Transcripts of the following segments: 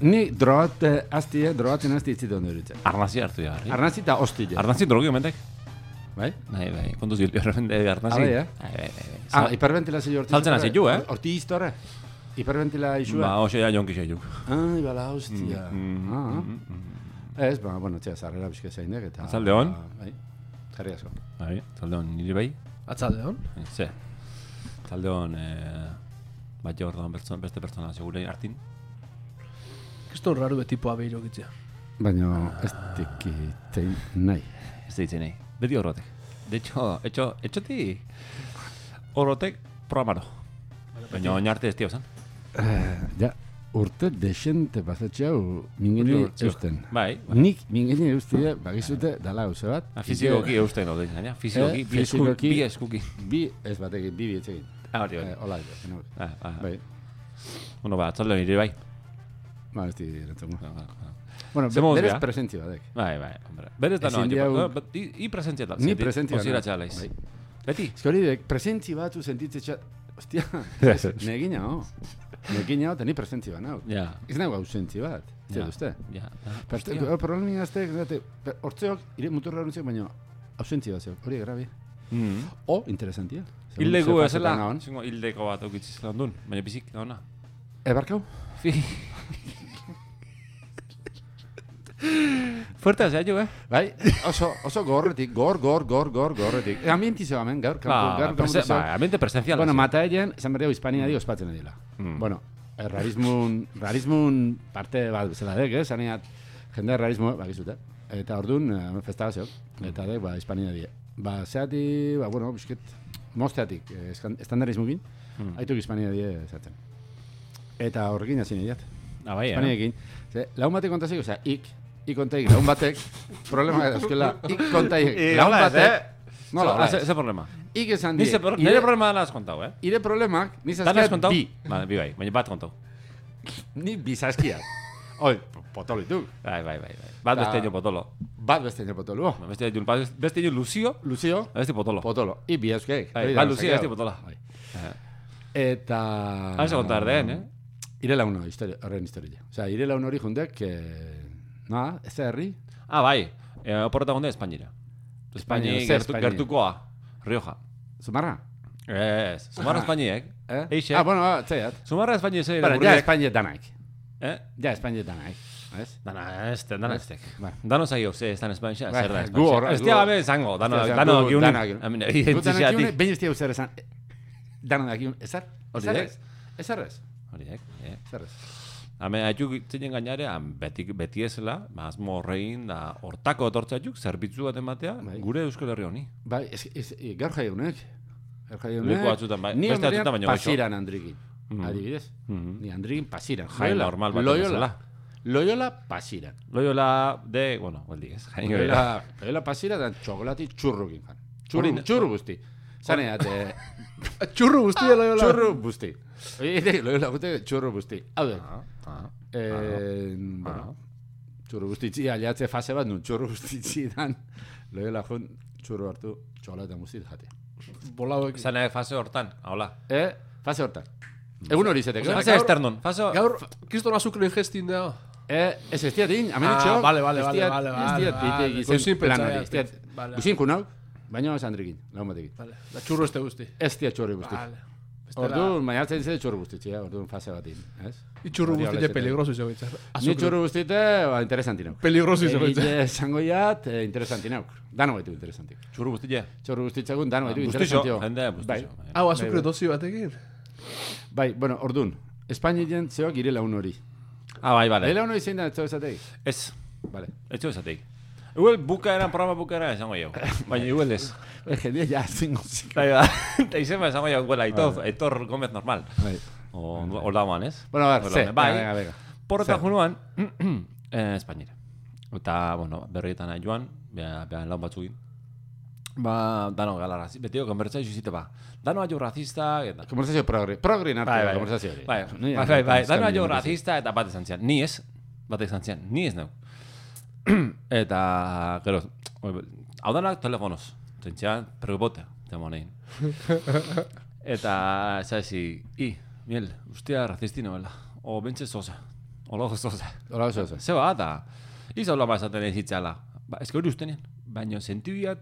Ni drogatzen azti itzit ondo eritzen. Arnazi hartu ja. Arnazi eta hostile. Arnazi drogi omentek. Bai? Bai, kontuz gilpio repente arnazi. Hiperventilazio horti. Saltzen hasi ju, Horti iztorre. Hiperventila isua. Ba, hoxe ja jonki xeiuk. Ai, bala, hostia. Ez, bueno, txea, zarrera bizka zeinek eta... Atzalde hon? Bai, jarri asko. Bai, atzalde hon, nire bai? Atzalde hon? Ze. Atzalde hon, bat jo orduan beste pertsona segure hartin. Kriston raru betipoa behiro gitzea. Baina ez dikitein nahi. Ez ditzen nahi. Beti horrotek. De hecho, etxoti horrotek programaro. Baina oinarte ez tiozan. Ja, urte desente pasatxeau mingeni eusten. Bai. Nik mingeni eustie, bagizute, dala hauze bat. Fizikoki eusten hori, zaina? Fizikoki, bi eskuki. Bi ez batekin, bi etxekin. Hori. Hola, bai. Bueno, ba, atzalde nire bai. Ba, ez di rentzongo. Bueno, berez presentzia batek. Bai, hombre. Berez da noa. I presentzia tal. Ni presentzia. Osira txalaiz. Beti? Ez hori dek, presentzi batu sentitze txat. Ostia, negina ho. Negina ho, eta ni presentzi bat nau. Ez nago ausentzi bat. Zer duzte? Problemin azte, hortzeok, ire muturra hortzeok, baina ausentzi bat zeok. Hori grabi. O, interesantia. Hildeko ezela. Hildeko bat okitziz lan duen, baina bizik da hona. Ebarkau? Fuerte hasea jo, Bai, oso gorretik, gorretik. Ambienti zeo hemen, gaur. Ambiente presencial. Bueno, mata egen, esan berreu Hispania di ospatzen edila. Bueno, rarismun parte bat bezala dek, zaneat, jende rarismo, bakizute. Eta orduan, festaba zeok. Eta dek, Hispania di. Zeati, bueno, bisket, mosteatik, estandarismukin, haituk Hispania di esaten. Eta horrekin hazin ediat. Bai, Hispaniakin. Laun batek kontazik, osea, ik kontaik, laun batek, problema euskela, ik kontaik, laun batek, nola, ze problema? Ik esan die. Nire problema dana has kontau, Ire problemak, nizazkiat bi. Bi bai, baina bat kontau. Ni bizazkiat. Oi, potolo dituk. Bai. Bat besteño potolo. Bat besteño potolo. Besteño Lucio. Beste potolo. Potolo. I bi euskeik. Bat Lucio, beste potolo. Eta... Haize kontar den, Ire launo, horren historia. Osea, ire launo hori jundek, ez da herri? Bai, oporreta gunde Espainira. Espaini gertukoa, Rioja. Zumarra? Ez, Zumarra Espainiek. Bueno, txaiat. Zumarra Espaini ez Bueno, ja Espaini danaik. Ja Espaini danaik. Dana ez tek. Dano zaio, ze ez dan Espaini, zer da Espaini. Gu hor. Ez dia gabe zango, dano giunik. Behin ez dia uzer esan. Dano dakiun, ezar? Ezarrez? Horiek, zerrez. Hemen haituk itzinen gainare, beti ezela, azmo horrein da hortako etortzaituk, zerbitzu bat ematea, gure Euskal Herri honi. Bai, gaur jaionek. Leku batzutan, bai. Ni hamerian pasiran Andrikin. Adibidez. Ni Andrikin pasiran. Jai normal bat ezela. Loyola pasiran. Loyola de, bueno, baldi ez. Loyola pasiran da txokolati txurrukin. Txurru guzti. Zaneat, txurru guzti, Loyola. Txurru guzti. Loyola gute txurru guzti. Hau den. Txurru guztitzi, aliatze fase bat nun txurru guztitzi dan. Loyola jun txurru hartu txokolata guzti jate. Bolauek. Zaneak fase hortan, hola. Fase hortan. Egun hori zetek. Fase externon. Gaur, kriston azukren gestin da. Ez estiatin, hamen ditxo. Vale. Goizin planari. Goizin kunau. Baina ez Andrikin, lagun batekin. Da txurru este guzti. Ez dia txurru guzti. Orduan, baina hartzen ditzen txurru guzti, orduan fase batin. I txurru guzti peligroso izan gaitzak. Ni txurru guzti interesanti nauk. Peligroso izan gaitzak. Zango jat, interesanti nauk. Dano baitu interesanti. Txurru guzti ja? Txurru guzti txagun, dano baitu interesanti. Jende, bustixo. Hau, azukre dozi batekin? Bai, bueno, orduan, Espainien zeoak ire laun hori. Bai, bale. Ire laun hori zein da, etxo esatei? Ez. Bale. Etxo esatei. Igual programa bukaeran esango jau. Baina igual ez. Jendea ja zingo zik. Eta izema esango jau, Aitor Gómez normal. O lauan, ez? Bueno, a ver, bai. Porreta junuan, Espainira. Eta, bueno, berrietan joan, behan laun batzukin. Dano gala razista, betiko konbertsazio izite ba. Dano aio razista... Konbertsazio progrin hartu konbertsazio hori. Bai, dano aio razista eta bat esan zian. Ni ez, ni ez neu. Eta, gero, hau danak telefonoz. Zentxean, pregupote, temonein. Eta, zazi, miel, ustia razisti noela. O bentsa zoza. Ola gozoza. Hola, oso. Zeba, eta izaula esaten ez hitzala. Ez hori ustenean, baina sentibiat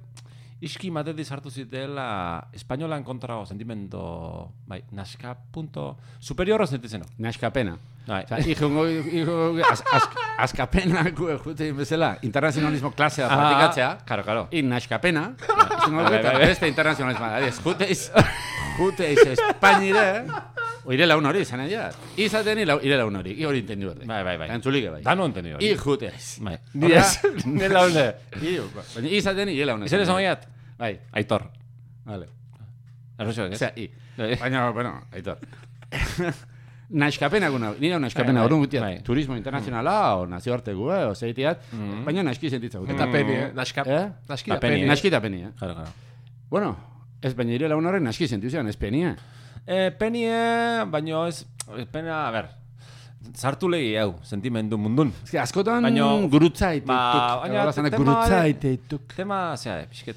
iski matetik sartu zitela espainolan kontrago sentimento, bai, naska punto superiorro sentitzen. Naskapena. Bai. Osa, askapena jute bezala, internazionalismo klasea praktikatzea. Claro. I naskapena, eta beste internazionalismo. Jute iz Espainire, oire laun hori, zan egia. Izaten ire laun hori, hori entendu berde. Bai. Antzulik bai. Dano entendu hori. I jute iz. Bai. Nire laune. Baina izaten ire laun. Izen esan baiat? Bai. Aitor. Vale. Arroxoak, ez? Osea, baina, bueno, Aitor. Naskapena guna, nire naskapena Bai, orduan gutiat, bai. turismo internazionala, o nazioartegu, o zeitiat, baina naski sentitza gutiat. Eta peni, naski da peni. Naski da peni, Claro. Bueno, ez baina ire laun horren naski sentitzean, ez penia. Penie, baino ez, pena, a ber, sartu lehi hau, sentimendu mundun. Ez que askotan Baino- gurutzaitek. baina Gurutzaitek. Tema, zera, pixket,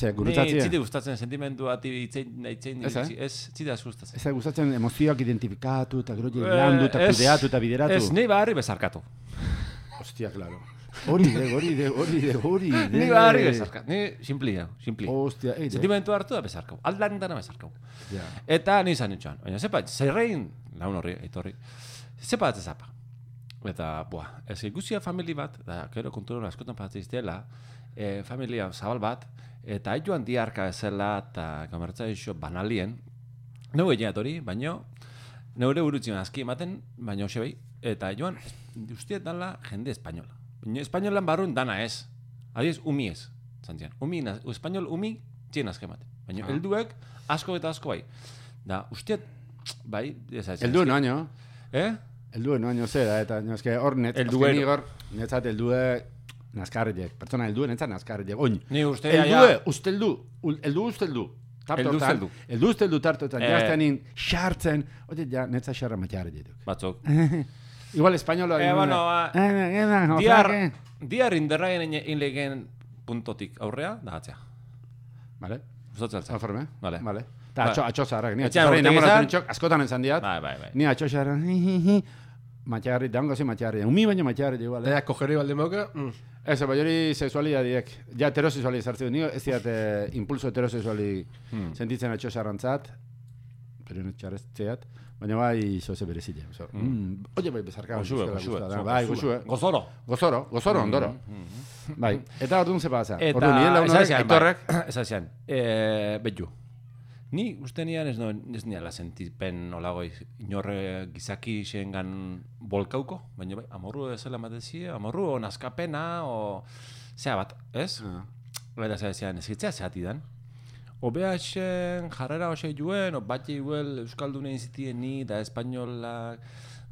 Ze, ni gurutzatzea. ziti gustatzen sentimendu ati itzein, Ez, ez zita gustatzen. Ez da gustatzen emozioak identifikatu, eta gero landu, eta kudeatu, eta bideratu. Ez, nahi barri bezarkatu. Ostia, claro. Hori de. Ni barri bezarkatu, ni simpli. Ostia, Sentimendu hartu da bezarkau, aldan dana bezarkau. Ja. Eta ni izan nintxoan, baina zepa, zerrein, laun horri, aitorri, zepa ez zapa. Eta, ez ikusia famili bat, da, gero konturon askotan patzeiz dela, familia zabal bat, eta joan diarka ezela, eta gamertza iso banalien, neu egiat hori, baina, neure burutzen azki ematen, baina hoxe behi, eta joan, ustiet dala jende espainola. Baina espainolan barrun dana ez, adiez, umi ez, zantzian, espainol umi, txien azki ematen. Baina, helduek, asko eta asko bai. Da, ustiet, bai, ez. Elduen oaino. Elduen oaino zera, eta eske hor netzat eldue naskarriek. Pertsona elduen netzat naskarriek. Oin. Ni uste usteldu. Usteldu tarto eta jazteanin xartzen. Ote, ja, netza xarra matxarri dituk. Batzuk. Igual espainola. Diar inderraien inlegen puntotik aurrea, da atzea. Vale. Usatzen altzen. Alforme. Vale. Eta atxo zaharrak. Ni Etxean atxo urtegi zaharrak zan? nintxok, askotan entzan diat. Bai. Ni atxo zaharrak. Matxarri, dango zi matxarri. Umi baina matxarri igual. Eta kogeri balde moka. Ez, bai hori sexualidadiek. Ja heterosexuali sartzen du. Ni ez diat impulso heterosexuali sentitzen atxo zaharrantzat. Pero no txarretzeat. Baina bai zoze berezile. Oye, bai bezarka. Bai, gozoro, ondoro. Bai, eta orduan ze pasa. Orduan nire launorek, aitorrek. Ez azian, betju. Ni uste nian ez niala sentipen olagoi inorre gizaki xengan bolkauko, baina bai, amorru ezela matezie, amorru o naskapena, o... Zea bat, ez? Eta zean, ez gitzea zehati dan. Obeaxen jarrera hoxe juen, o bat jiguel Euskaldunein zitien ni, da espainolak,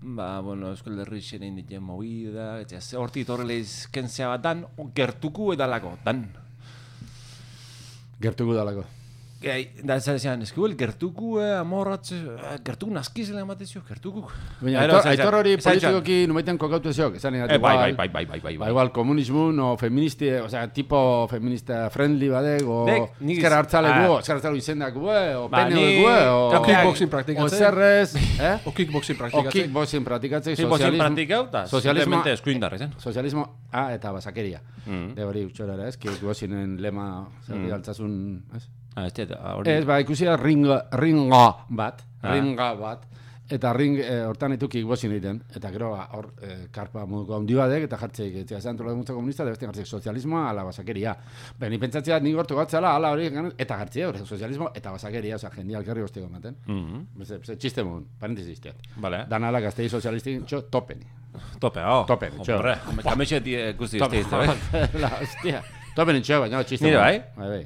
Euskal Herrixen egin ditien movida, horti torrele izkentzea bat dan, gertuku edalako, dan. Gertuku dalako. Da ez zean, eskibel, gertuku amorratze, gertuku naskizela ematezio, gertuku. Baina, aitor hori politikoki numeiten kokautu eziok, esan egin Bai. Igual komunismun o feministi, osea, tipo feminista friendly badek, o ezkera hartzale gu, izendak gu, o pene gu, o kickboxing praktikatzen. O zerrez, o kickboxing praktikatzen. O kickboxing praktikatzen. Kickboxing praktikauta, simplemente eskuindarrezen. Sozialismo, eta basakeria. De hori utxorara ez, kickboxingen lema, zer altzazun, ez? Ez, ikusi da ringa bat, eta hortan etu kickboxing egiten, eta gero hor karpa moduko handi badek, eta jartzeik, eta zantola dut komunista, da beste jartzeik sozialismoa ala basakeria. Baina ni pentsatzea nik gortu gatzala, ala hori, eta jartzea hori sozialismo eta basakeria, oza, jendia alkarri gozteko ematen. Txiste mogun, parentesi izteat. Dan ala gaztei sozialistik, topeni. Topeni, txo. Kametxe guzti izte. Hostia. Topen entxeo, baina txiste. Nire bai? Bai.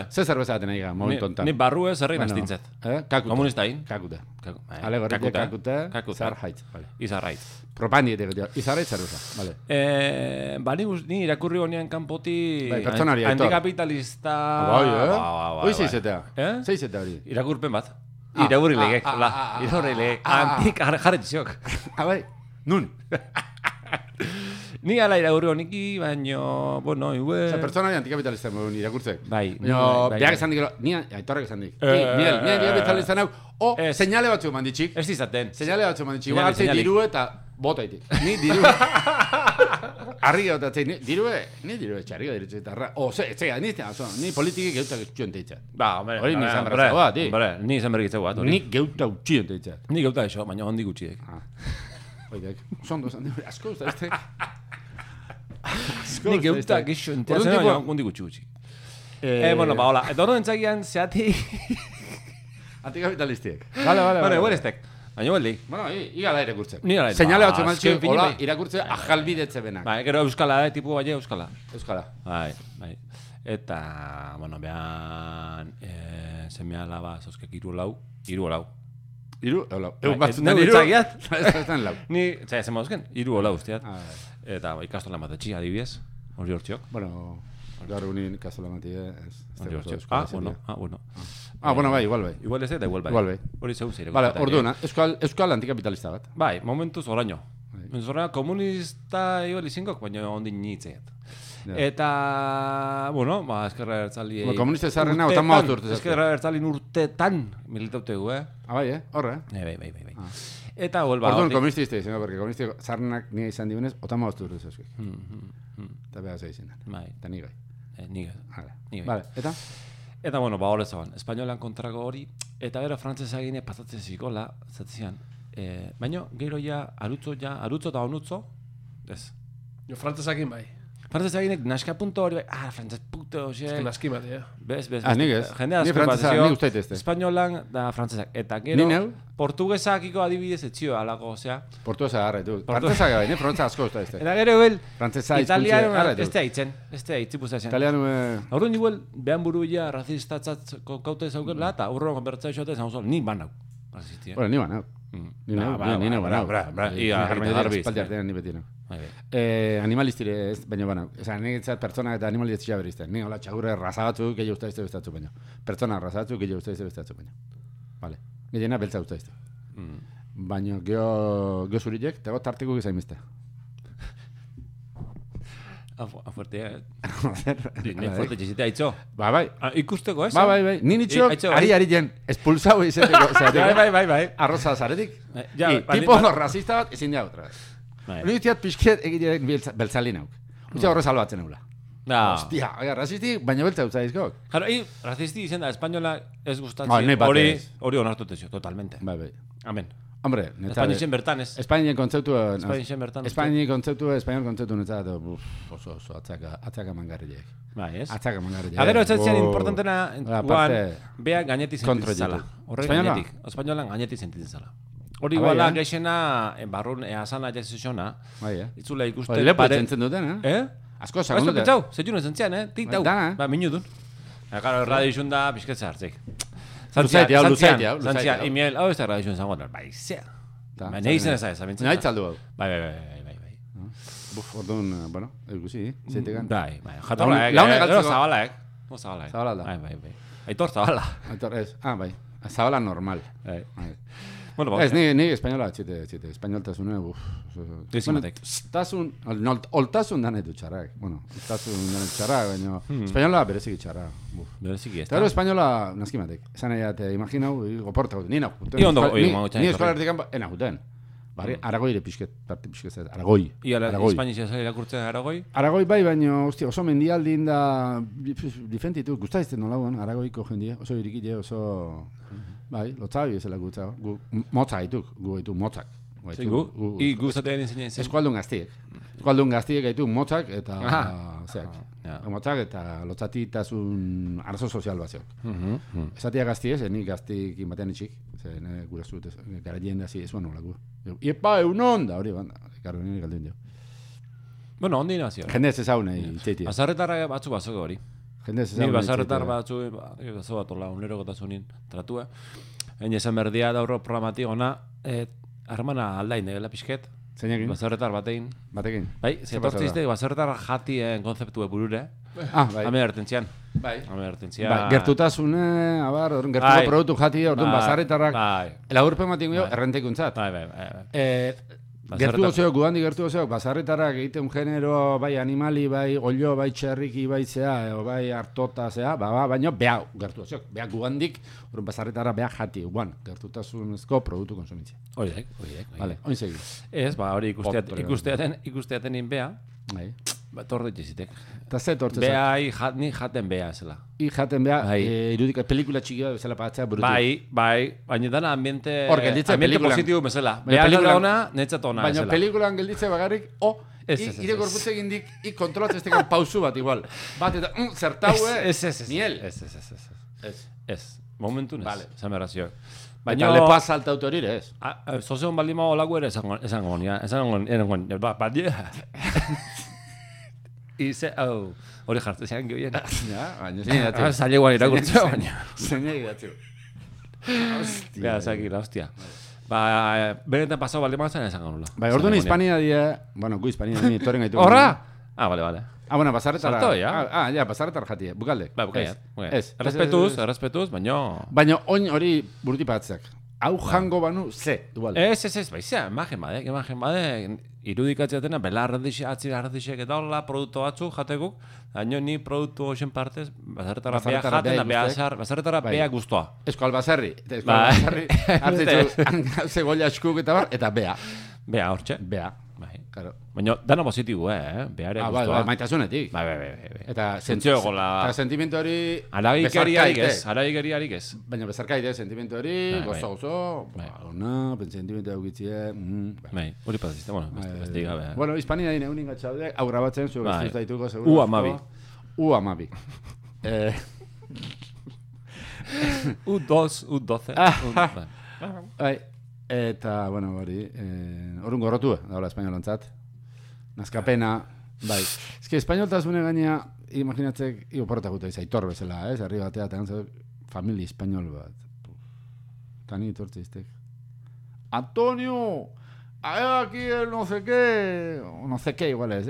Ze zerbeza daten aiga, momentu ontan. Ni barru ez herri nastintzet. Kakute. Komunistain. Kakute. Alegorrik kakute, izar haitz. Izar haitz. Propandi edo, izar haitz zerbeza. Ni irakurri honean kanpoti... Pertsonari, aitor. Antikapitalista... Hoi zeizetea? Zeizetea hori? Irakurpen bat. Irakurri legek. Irakurri legek. Antik jarretziok. Bai, nun? Ni ala irakurri honiki, baino, bueno, igual... Osa, pertsona antikapitalista modun irakurtzek. Bai. Baina, behak esan dik, ni aitorrek esan dik. Ni antikapitalista nahu, señale batzu manditxik. Ez izaten. Señale batzu manditxik. Igual hartzei diru eta botaitik. Ni diru... Arri gautatzei, ni diru txarri gairitzu eta arra. Etzega, ni politikik geutak etxuen teitzat. Ba, hombre. Hori ni izan berrazau bat, Ni izan berrikitzeu bat, hori. Ni geuta utxien teitzat. Ni geuta eso, baina hondik utxiek. Oidek, zondo zan, asko usta Ni geuta gixo enteatzen, baina hondik utxi. Bueno, ba, hola. Eta hori entzagian, zeati... Antikapitalistiek. Vale, huelestek. Baina hueldi. Bueno, igala irakurtzek. Ni gara. Señale batzu maltxe, hola, irakurtze ajalbidetze benak. Bai, gero euskala, tipu bai euskala. Euskala. Bai. Eta, bueno, behan, semea laba, zozkek iru lau. Egun batzutan iru. Ez lau. Ni, zai, zen mauzken, iru hola usteat. Eta ikastola matetxi, adibidez. Hori hortziok. Bueno, gaur unin ikastola mati, Hori hortziok. Bueno. Bueno, bai, igual bai. Igual ez eta igual bai. Hori zeu zeire. Vale, orduan, euskal antikapitalista bat. Bai, momentuz oraino. Oraino komunista igual izingok, baina ondin nitzeat. Eta, bueno, eskerra ertzali... Komunista zarrena, otan maut urte. Eskerra ertzali urtetan militautegu, Bai, horre? Bai. Eta, huelba... Orduan, komunista izte izan, porque komunista zarrenak nire izan dibunez, otan maut urte zazkik. Eta beha zei izan. Bai. Eta nigai. Nigai. Vale, eta? Eta, bueno, hori zaban, espainolan kontrako hori, eta gero frantzesa gine pasatzen zikola, zatzian. Baina, gero arutzo eta onutzo, ez. Jo, frantzesakin bai. Frantzesa ginek naska punto hori bai, frantzes puto, xe. Ez naski bat, Bez. Nik ez. Jendea Ni frantzesa, nik usteit ezte. Espainolan da frantzesak. Eta gero, portugesakiko adibidez etzio alako, osea. Portugesa garra, du. Frantzesa gai, frantzesa asko usta ezte. Eta gero, frantzesa italiano, ez da hitzen. Itzipuzatzen. Italiano... Horren igual, behan buru ia razistatzat kaute zaukela, eta aurro konbertzai xote zaun zol, ni banau. Bueno, ni banau. Ni banau. Animalistire ez, baina banau. Osa, niretzat pertsona eta animalistia berizten. Ni hola txagurre razabatzu, gehi usta izte bestatzu baino. Pertsona razabatzu, gehi usta izte bestatzu baino. Vale. Gehiena beltza usta izte. Baina geho zurilek, tego tartiko gizaimizte. Fuerte, Ni fuerte txizite haitzo. Bai. Ikusteko, ez? Bai. Ni nitxok, ari jen, espulsau izeteko. Bai. Arroza zaretik. Tipo rasista bat, ezin da otra. Hori dutiat pixket egiteak beltzalin hauk. Utsa horre salbatzen eula. Hostia, rasisti, baina beltza utza izkok. Jaro, rasisti izen da, espainola ez gustatzen. Hori onartutezio, totalmente. Bai. Amen. Hombre, Espainixen bertan ez. Espainien kontzeptu... Espainien kontzeptu netzat, oso, atzaka mangarrileek. Bai, ez? Atzaka mangarrileek. Agero, ez zian importantena, beha gainetik sentitzen zala. Horrek gainetik. Espainolan gainetik sentitzen zala. Hori iguala geixena, barrun, asana jaizizona. Itzula ikusten... Lepo etzen duten, Asko, segundu dut. Pentsau, zetxun ezen zian, Tik dau. Ba, minu dun. Gara, radio izun da, pixketza hartzik. Luzaitia. Imiel, hau ez da radio izun zango, bai, zea. Baina egin ez amintzen. Nahi txaldu hau. Bai. Orduan, bueno, ikusi, zeitegan. Bai. Jatorra, Zabala da. Bai. Aitor Zabala. Aitor, ez. Bai. Zabala normal. Bueno, ez, ni espainola txite. Espainoltasune, Dizimatek. Oltasun dane du txarrak. Bueno, oltasun dane txarrak, baina... Espainola bereziki txarrak. Bereziki ez. Eta espainola naskimatek. Esan egin, imaginau, goporta guten. Ni eskolartik ena guten. Aragoi ere pixket, Aragoi. Espainizia zari lakurtzen Aragoi? Aragoi bai, baina oso mendialdin da difentitu. Guztaizten nolagoan, Aragoiko jendia. Oso irikile, oso... Bai, lotzabi ezela gutza. Motza haituk, gu haitu motzak. Gustatean enseñen zen? Eskualdun gaztiek haitu motzak eta... Motzak eta lotzatitasun arazo sozial bat zeok. Esatia gaztiez, nik gaztikin batean itxik. Gura zut, gara jende hazi ezuan nolako. Iepa, egunon da, hori banda. Garo, nire galduen dio. Bueno, ondi nazio. Jende ez ezaune itxeitia. Azarretarra batzu bazoko hori. Ni bazarretar batzu, bazo bat hola, unero gotasunin tratua. Hain esan berdia dauro programati ona, harmana aldain dela pixket. Zeinekin? Bazarretar batein. Batekin? Bai, zetortzizte, bazarretar jatien konzeptu burure. Bai. Hame ertentzian. Bai. Gertutasune, abar, gertuko produktu jati, orduan bazarretarrak. Laurpen matik errentekuntzat. Bai. Gertu gozeok, gudandik gertu gozeok, basarretarak egiten genero, bai animali, bai olio, bai txerriki, bai zea, bai hartota zea, baina beha gertu gozeok, beha gudandik, horren basarretara beha jati, gertutasunezko produktu konsumitzea. Horiek. Vale, oin segi. Ez, hori ikusteaten beha, torre jizitek. Eta ze tortze zak? Beha, ni jaten beha, zela. Jaten beha, irudika pelikula txikia bezala patzea burutu. Bai, baina dana ambiente positibo bezala. Beha gara ona, netzat ona. Baina pelikulan gelditze bagarrik, ire gorputze gindik, kontrolatzen ez tekan pausu bat igual. Bat eta, zertaue, miel. Ez, momentun ez, zamerrazio. Eta lepoa salta autorire, ez? Zozeon baldima olago ere esango Ize, hori jartu zean gehien. Baina, zaila guan irakurtzea, baina. Zeina egidatzu. Bea, zakila, hostia. Benetan pasau balde mazan esango nula. Orduan Hispania die, bueno, gu Hispania die, toren gaitu. Horra? Vale. Bueno, basarretara. Salto, ya? Basarretara jatie, bukalde. Bukalde. Ez. Errespetuz, baina... Baina, oin hori burutipatzak. Hau jango banu, ze, igual. Ez, baizia, emagen bade, irudikatzeatena, atzirardixek eta hola, produktu batzu jatekuk, baina ni produktu hoxen partez, basarretara bea jaten, basarretara bea guztua. Esko albasarri, hartzitzu, zegoela eskuk eta bea. Bea, hortxe. Bea. Claro. Baina, dana positibo, beare guztua. Maitasunetik. Eta sentimentu hori... Aragikeriarik ez. Baina bezarkaide, sentimentu hori, gozo, sentimentu eukitzie... Hori patazizte, beste gabe. Bueno, Hispania dine unin gatxaude, hau grabatzen, zu ez daituko, seguro. U-amabi. U-12. Eta, bueno, hori, horren gorrotu, daula espainolantzat. Nazkapena, bai. Ez que espainoltasune gaina, imaginatzek, porretakuta aitor bezala, herri batea, eta gantzak, familia espainol bat. Tani itortze iztek. Antonio! Aquí el no sé qué, igual es.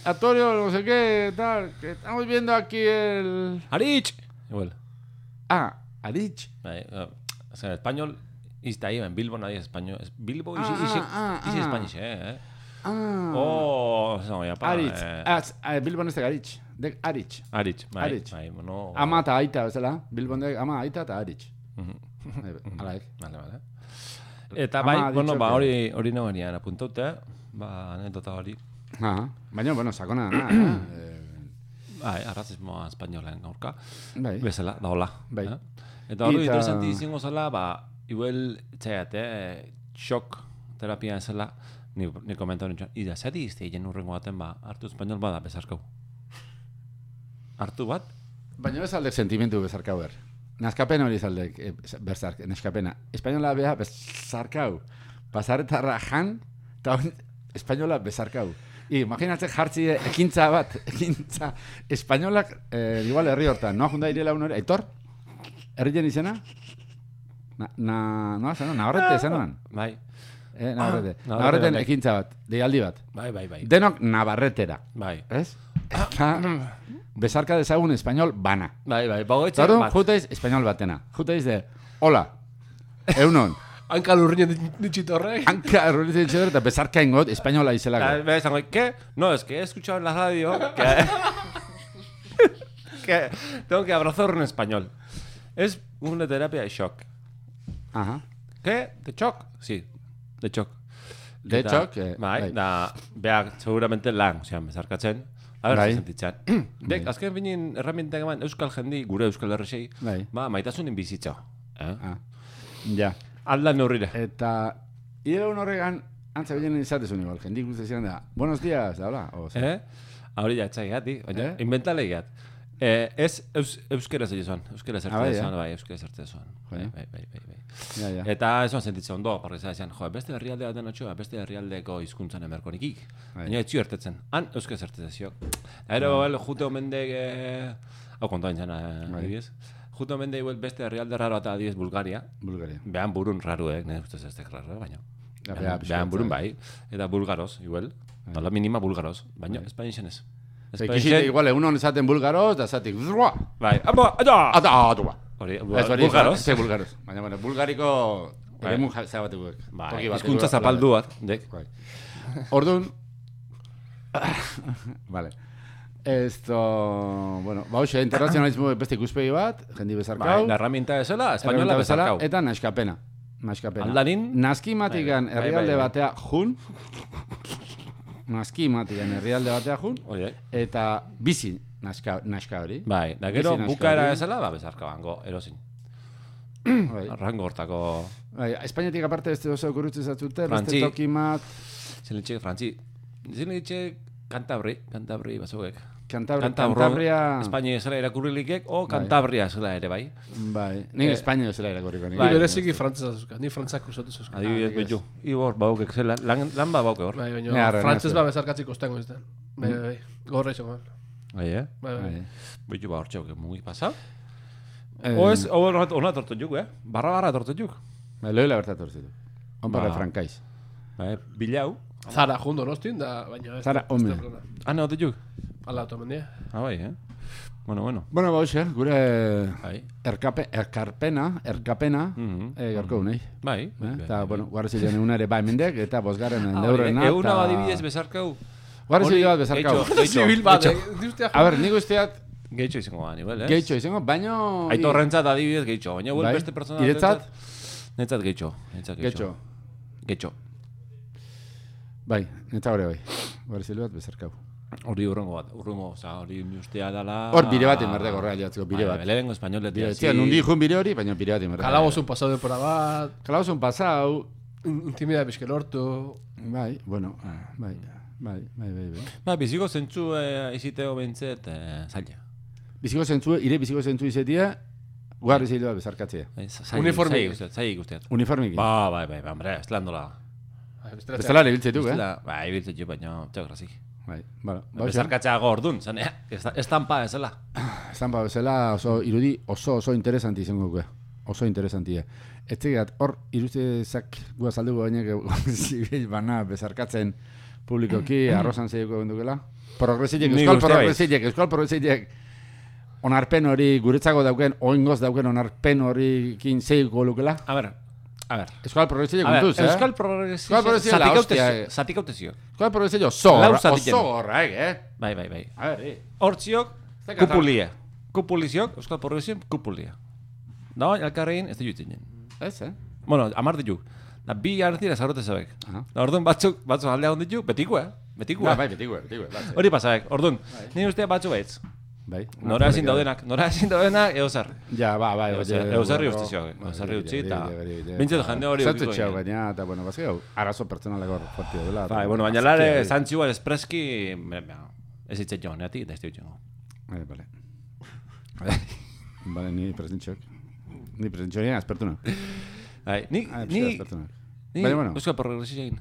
Antonio, no sé qué, tal, que estamos viendo aquí el... Arich! Igual. Arich. O sea, en español, está ahí, en Bilbo nadie es español. Es Bilbo y sí Spanish, Arich. Bilbo no es de Arich. De Arich. Bai, bueno... Ama eta aita, bezala. Bilbon de ama, aita eta Arich. Alaik. Vale. Eta bai, bueno, hori nago genian apuntaute, anekdota hori. Baina, bueno, sakona da, Bai, arrazismoa espainolen gaurka. Bai. Bezala, da hola. Bai. Eta hori interesanti izango zela, igual, txaiate, xok terapia zela, ni komentau nintzen, ida, zati izte egin urrengo baten, hartu espainol bada bezarkau. Hartu bat? Baina ez aldek sentimentu bezarkau ber. Nazkapen hori ez aldek neskapena. Espainola beha bezarkau. Pasarretarra jan, eta espainola bezarkau. Imaginatzen jartzi ekintza espainolak, igual herri hortan, noa junda irela unore, Aitor? Herrien izena? Navarrete izan Bai. Navarreten ekintza bat, deialdi bat. Bai. Denok Navarretera. Bai. Ez? Bezarka dezagun espainol bana. Bai. Bagoetxe. Zaro, juteiz espainol batena. Juteiz de, hola, eunon. Hanka lurrinen ditxitorrek. Hanka lurrinen ditxitorrek eta bezarka ingot espainola izelako. Bezango, ¿qué? No, es que he escuchado en la radio que tengo que abrazar en español. Es una terapia de shock. Ajá. ¿Qué? ¿De shock? Sí, de shock. De shock? Bai, da, beak seguramente lan, osean, bezarkatzen. A ver, sentitzen. Dek, azken binin herramientak eman euskal jendi, gure euskal herresei, maitasunin bizitza. Ja. Alda neurrire. Eta, ire horregan, antza binen izatezun igual, jendik guztizien da, buenos días, da, hola? Hori ja, etxai gati, inventale gat. Ez euskera zaizuan, euskera zertzezuan, bai, euskera zertzezuan. Bai. Eta ez oan sentitzen ondo, porque zaizan, beste herrialde baten atxoa, beste herrialdeko hizkuntzan emerko nikik. Baina etxio ertetzen, han euskera zertzeziok. Ero, jute omendek, hau kontoa intzana, adibiz. Jute omendek beste herrialde raro eta adibiz Bulgaria. Behan burun raru, nire ustez ez dek raro, baina. Behan burun bai, eta bulgaroz, igual. Nola minima bulgaroz, baina espainixen ez. Ekizite, igual, egunon esaten bulgaroz, da zatik, bai, bulgaroz. Hori, bulgaroz. Ze bulgaroz. Baina, bueno, bulgariko Eremun zabatekuek. Bai, hizkuntza zapaldu bat, dek. Bai. Orduan, vale. Bueno, hoxe, internazionalismo beste ikuspegi bat, jendi bezarkau. Bai, herramienta bezala, espainola bezarkau. Eta naskapena. Aldarin. Naskimatikan herrialde batea jun. Naskimatikan herrialde batea jun. Eta bizi naska hori. Bai, da gero bukaera bezala, bezarkau hango, erosin. Rango hortako... Espainiatik aparte ez oso okurrutzen zatzute, beste tokimat... Zelenitxek, frantzi. Zelenitxek Kantabri bazuek. Kantabria... Espainia zela irakurrilikek, o Kantabria zela ere, bai. Bai, nik Espainia zela irakurriko. Ni bereziki frantzesa zuzka, ni frantzak usatu zuzka. Adibidez betu. Ibor, baukek zela, lan ba bauke hor. Bai, baina frantzes ba bezarkatzik ostengo izten. Bai, gorra izango. Bai, bai. Betu ba hor txauk, mugi pasau. Oez, hona tortu juk, Barra tortu juk. Loila berta tortu juk. Onparra frankaiz. Bilau. Zara jundo nostin, da baina... Zara, home. Ana, ote juk? Ala, otomendia. Bai, Bueno. Bueno, bauxe, gure erkapena, garko unei. Bai. Eta, bueno, guarrezilean egun ere bai mendek, eta bosgarren endeurrena. Eguna badibidez bezarkau. Guarrezilean bat bezarkau. Zibil bat, a ber, nik usteat... Geitxo izango da, nivel, Geitxo izango, baina... Aitorrentzat adibidez geitxo, baina beste persona... Iretzat? Netzat geitxo. Geitxo. Bai, netzat hori bai. Guarezile bat bezarkau. Hori urrengo, hori ustea dala... Hor bire bat inberdeko horreal jatzeko, bire bat. Lehengo espainoletia. Tia, nundi jun bire hori, baina bire bat inberdeko. Kalabozun pasau depora bat... Kalabozun pasau... Intimida bizkel hortu... Bai, bueno, bai. Ba, biziko zentzu iziteo bentzet zaila. Biziko zentzu izetia, guarri zeiloa bezarkatzea. Uniformik. Zaila ikusteat. Uniformik. Bai, hombre, ez lan dola. Bestela ere biltzetuk, Bai, biltzetuk, baina txagrazik. Bai, bezarkatzea gordun, zan, estampa ezela. Estampa bezala irudi oso interesanti izango guke. Oso interesantia. Ez tegat, hor iruzezak guazalduko gainek zibil bana bezarkatzen publikoki, arrozan zeioko bendukela. Euskal progresillek onarpen hori guretzako dauken, oingoz dauken onarpen horikin zeioko lukela. A ver. Euskal progresillek kontuz, Euskal progresillek zatik hautezio. Euskal progresillek oso horra, Bai. Hortziok, kupulia. Kupuliziok, Euskal progresillek kupulia. Da, alkarrein, ez da juitzen jen. Ez, Bueno, amar ditu. Da, bi jartira zarote zabek. Da, orduan batzuk aldea hon ditu, betiko, Betiko. Bai, betiko. Hori pasabek, orduan, nire ustea batzu baitz. Bai. Nora ezin daudenak, eozar. Ja, bai. Eozarri ustizioak, eozarri utzi, eta... Bintzatu jende hori ukiko. Zatutxeau gaina, eta, bueno, bazki hau, arazo pertsonaleko fortio dela. Bai, bueno, baina lare, zantziua espreski, ez itzet joan, neati, eta ez dut joan. Bale. Bale, ni presentxok. Ni presentxok nien, aspertuna. Bai, ni... Euskal progresillek egin.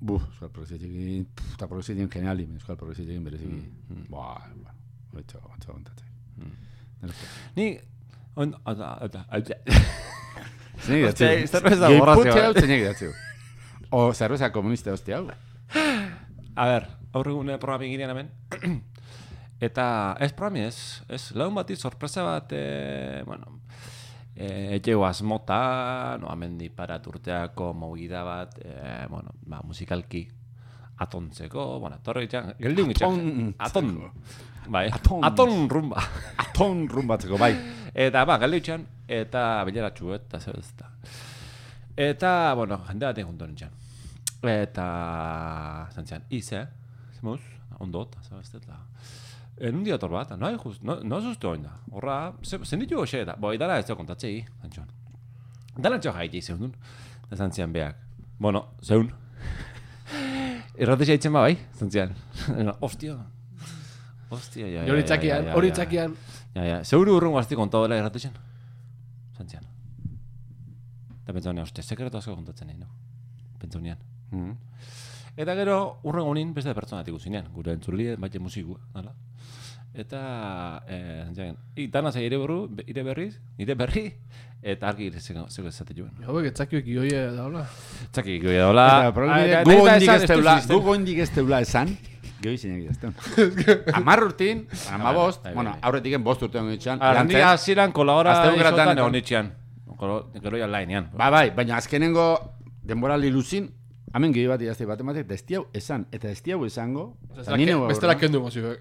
Euskal progresillek egin, eta progresillek egin geniali, Euskal progresillek egin bereziki. Oitxo ontatzek. Ni... Zerbeza borrazio. Zerbeza borrazio. O zerbeza komunista hostia hau. A ber, aurregune programik ginean hemen. Eta ez programi ez, lagun bati sorpresa bat, bueno... Etxego asmota, amendi paraturteako movida bat, bueno, musikalki atontzeko, bueno, torre gitxan, geldiun gitxan. Aton. Bai, aton rumba. Aton rumbatzeko, bai. Eta, geldiun gitxan, eta bileratxu, eta zer ez da. Eta, bueno, jende batean junto nintzen. Eta, zantzian, zemuz, ondot, zabaztet, en un día torbata, no asustu oin da. Horra, zenditu goxe eta, idara ez da kontatzei, zantxoan. Dala txo jaiti zeundun, da zantzian beak. Bueno, zeun. Erratexea itzen bai, zantzian. Ostia, ja. Hori txakian. Ja, zeuru urrungo azti konta dela erratexean. Zantzian. Da pentsaunean, sekretu asko kontatzen nahi, no? Pentsaunean. Eta gero, urrengo honin beste pertsonatik uzinean, gure entzurli, baite musikua, nala. Eta, dana zei ire berri, eta argi zeko ezate joan. Hauek, txakiok ioia daula. Txakiok ioia daula. Gu goindik ez teula esan, gehi zinek idazten. 10 urtin, 15, bueno, aurretik 5 urtean egitxan. Arrandia hasieran kolabora esotan egon itxean. Gero ja lainean. Bai, baina azkenengo denboraldi luzin, hemen gehi bat idazte bat ematek, destiau esan, eta destiau esango, bestela kendu mozio.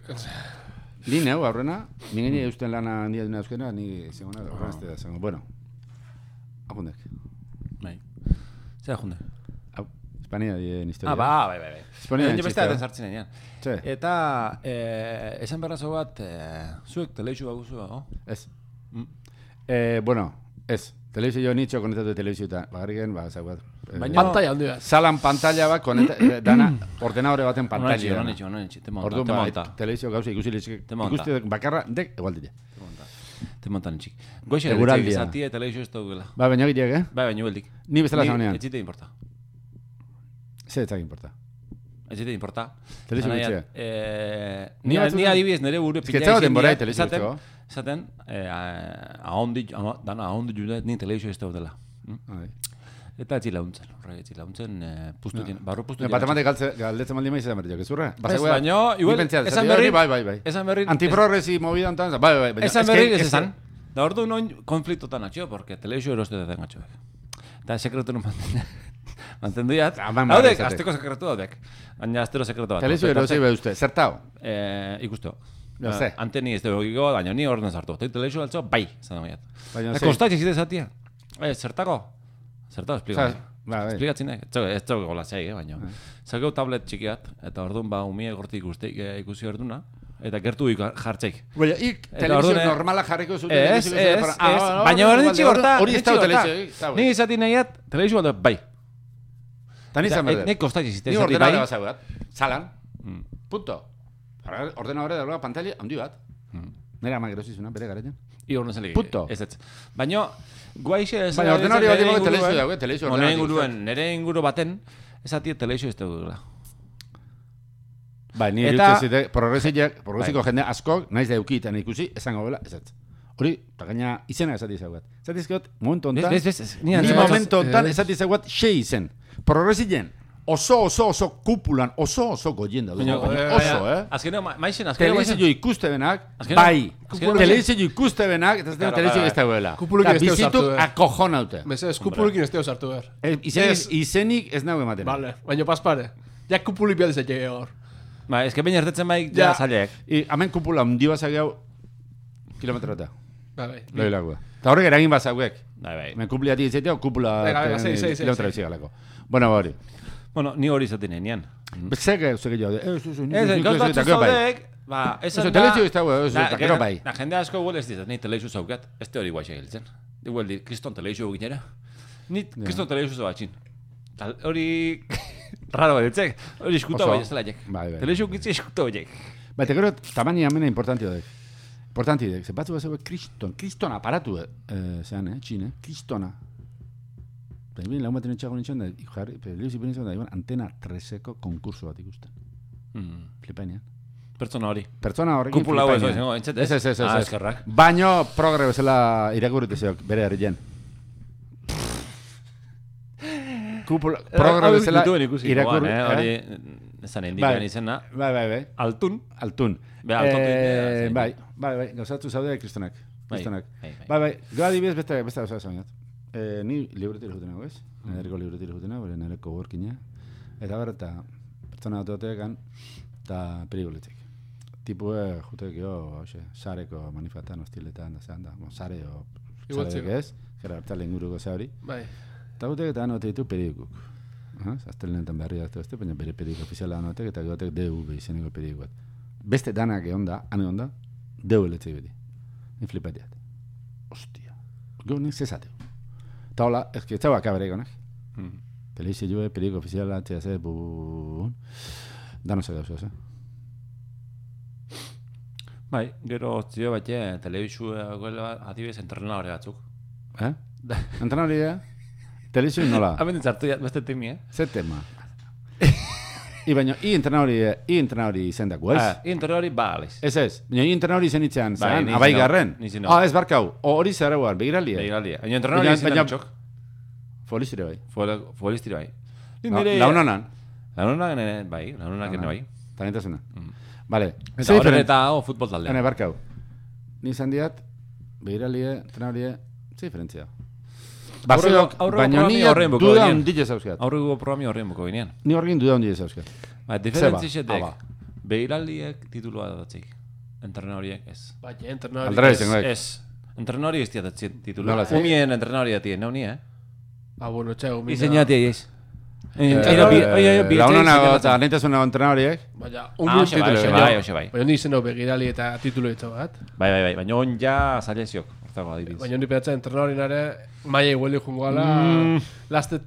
Ni neu aurrena, ningeni eusten lana handia duna euskena, ni segona aurrena ez da esango. Bueno, akundek. Bai. Zer akunde? Hau, Espania dien historia. Bai. Espania dien beste daten sartzen enean. Txe. Eta, esan berrazo bat, zuek teleixu baguzu dago? Ez. Bueno, ez. Telebizio nitxo konektatu telebizio eta bagarriken, zaguat. Baina pantalla handi bat. Salan pantalla bat dana ordenadore baten pantalla. Onetxe, te monta. Orduan telebizio gauza ikusi bakarra, dek egual dira. Te montan txik. Goixe egutik izatia telebizio ez daugela. Baina gileak, Baina beldik. Ni bezala zaunean. Ez zite importa. Ze etzak importa. Ez zite importa. Telebizio gutxea. Ni adibidez nire buru pila izin esaten, dana ahondi judet ni telebizio ez daudela. Eta etzi launtzen, barru puztu dien. Batematik galdetzen maldi maiz edan berriak, ez urra? Baina, igual, esan berri, bai. Antiprogresi movida ontan, bai. Esan berri, ez esan. Da ordu noin konfliktotan atxio, porque telebizio eroste deten atxoek. Eta sekretu non mantendu jat. Haudek, azteko sekretu daudek. Baina aztero sekretu bat. Telebizio erosi behuzte, zertau? Ikusteo. Ze? Anteni ez dugu giko, baina ni orden sartu. Telebizio altzo, bai, zan dagoiat. Baina Konstatxe zite zatia. Zertako? Zertako, esplikatzen. Esplikatzen. Ez dugu gola zei, baina. Zageu tablet txikiat, eta orduan umie gortik ikusi orduna. Eta gertu jartzeik. Baina, telebizio normala jarriko zuten. Ez. Baina hori nitsi gorta. Hori ez da telebizio. Ni izati nahiat, telebizio bat bai. Eta nizan berde. Nik konstatxe zite Ni zati bai. ordenadore bat zaugat. Zalan. Punto. Ordenadore dagoela pantalla handi bat. Nera ama gerosizuna, bere garetan. I hor nezelik. Punto. Ez. Baina, guaixe ez... Baina ordenadore bat dago telebizio dago, telebizio ordenadore. Nere inguru baten, ezati telebizio ez dugula. Bai, ni irutzezite, progresiko jende askok, naiz da eukitan ikusi, esango bela, ez. Hori, eta gaina izena esati zaugat. Esatizkot, momentu ontan, ni momentu ontan esati zaugat xe izen. Progresilen, oso kupulan, oso goien da. Oso, Azkeneo, maixen, telebizio ikuste benak, bai. Telebizio ikuste benak, eta telebizio ez dagoela. Kupulukin ez teo sartu. Bizituk akojonaute. Bezez, kupulukin ez teo sartu behar. Izenik ez nago ematen. Vale, baina paspare. Ja kupulik behar dizet jege hor. Ba, ez que baina ertetzen bai, ja zaileak. Hemen kupula hundi bat zagau, kilometrota. Bai. Loilakua. Eta horrek eragin bat zauek. Bai. Hemen kupliati izaitea, kupula kilometra bizigalako. Bueno, hori. Bueno, ni hori izaten enean. Zeke jaude. Gauzatzu zaudek, esan da... Telezio ez dago, gero bai. Da jende asko guel ez dizat, ni telezio zaukat, ez te hori guaixe giltzen. Igual di, kriston telezio ginera. Ni kriston telezio zauatxin. Hori... Raro ditzek, hori eskuta bai ez dela jek. Telezio gitzi eskuta bai jek. Baina, gero, tamani amena importanti dek. Importanti dek, zepatzu bat zegoen kriston aparatu, zean, txin, kristona. Baina, lagun baten etxago nintzen da, da, antena 3eko konkurso bat ikusten. Flipainean. Pertsona hori. Pertsona horrekin kupula hau ez, ez. Baino progre bezala irakurritu zeok, bere herrien. Progre bezala irakurri. Hori, ezan indikan izena. Bai. Altun. Bai, gauzatu zaude kristonak. Bai, goa dibidez beste gauza zainat. Ni libretiro juten nago, ez? Nereko libretiro juten nago, nereko workina. Eta eta pertsona autotekan, eta periguletik. Tipue jutek jo, sareko manifatan, hostiletan, da zean da. Sare o... Sarek ez, gara hartzale inguruko ze hori. Bai. Eta gutek eta anote ditu periguk. Aztelenetan berri dazte beste, baina bere periguk ofiziala anotek, eta gotek DV izeneko periguat. Beste danak egonda, ane onda, DV letzei beti. Ni flipatiat. Ostia. Gau nik zezateu. Eta hola, ez que txau akabere egonak. Telebizio joe, periguk ofiziala, txea danos edauz, Bai, gero zio bat telebizio adibidez entrenadore batzuk. Entrenadore telebizio nola? Hemen ditzartu beste temi, Ze tema? Baina, entrenadori izendako, ez? Entrenadori baliz. Ez. Baina, entrenadori izen itzean, zean, abaigarren. Ez barkau, hori zerreuar, begiraldia. Baina, entrenadori izen atxok. Folistire bai. Folistire bai. Launonan. Launonan, bai. Talentasuna. Vale. Eta horren eta futbol taldea. Barkau. Ni izan diat, begiraldia, entrenadoria, ze diferentzia. Bazeok, baina ni duda hundile zauzkat. Aurreko programi horrein buko ginean. Ni horrein duda hundile zauzkat. Diferentzixetek, behiraldiek titulua datzik. Entrenoriek ez. Baina, entrenori... Aldera izangoek. Ez. Entrenori ez diatatzen titulua. Umien entrenori datien, neu ni, bueno, txau, mina... Izeñati ez. Launago eta nahitasuna entrenoriek. Baina, bai. Baina, ni zeno begirali eta titulu ditu bat. Bai. Baina on ja zaileziok. Baina, ni pedatzen entrenorinare maia igueli jungoala. Laste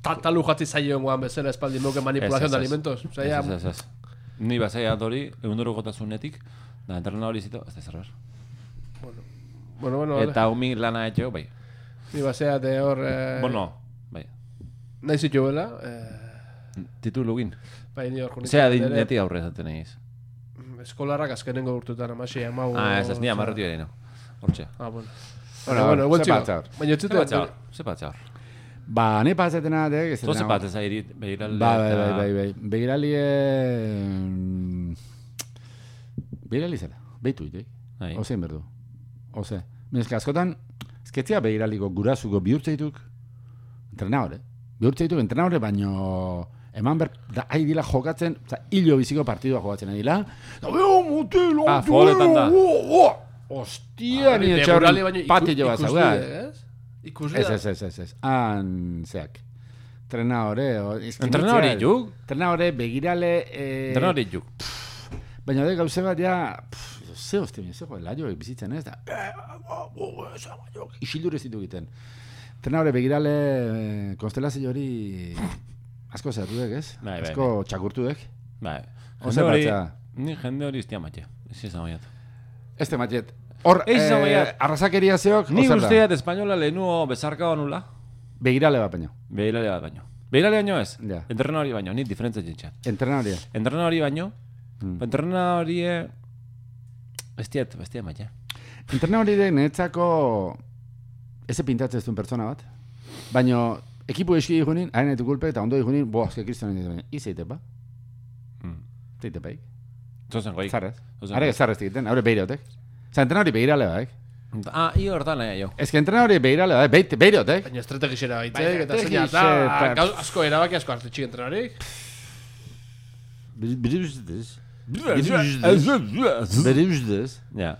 talu jatzi zaioen guan bezala espaldi moke manipulazion de alimentos. Ez. Ni bazaia dori, egunero gotasunetik, da entrenori zito, ez da zerber. Bueno, eta umi lana etxeo, bai. Ni basea de hor... bai. Nahi zitu bela. Titulugin. Bai, ni hor junik. Zea dineti aurre zaten egiz. Eskolarrak azkenengo urtutan amasi amau... Ez ni amarretu ere, no. Hortxe. Bueno, zepatzar. Baina etzitu... Zepatzar. Ba, ne pasetena de... Zo zepatzez ari begiraldi... Bai. Begirali... Begirali zela. Beitu ite. Ozein berdu. Oze. Mezke askotan... Ezketzia begiraliko gurasuko bihurtzeituk... Entrenadore. Bihurtzeituk entrenadore, baino... Eman ber... Da, dila jokatzen... Hilo biziko partidua jokatzen dila... Foletan da. Ostia, ni etxarren pati jo bat zauda. Ez. Han, zeak. Entrenadore juk? Entrenadore, begirale... Entrenadore juk. Baina de gauze bat ja... Ze hostia, laio bizitzen ez da... Isildure zitu egiten. Entrenadore, begirale... Konstelazio hori... Asko zertuek, ez? Asko txakurtuek. Bai. Ni jende hori iztia matxe. Ez izan baiat. Ez te matxet. Hor, arrasakeria zeok... Ni usteat espainola lehenuo bezarka banula. Begirale bat baino. Begirale baino ez? Entrenadori baino, ni diferentzia jentxat. Entrenadori baino. Entrenadori... Bestiat matxe. Entrenadori netzako... Eze pintatzen ez duen pertsona bat. Baino... Ekipu eski digunin, hain etu kulpe, eta ondo digunin, azke kristonen digunin. Izeite ba? Zeite baik. Zozen goik. Zarrez. Are zarrez egiten, haure behirautek. Zer, entrenadori behirale baik. Io hortan nahi jo. Ez que entrenadori behirale baik, behirautek. Baina estrategizera baitek, eta zeina eta asko erabaki asko hartu txik entrenadorik. Bere ustez. Ja.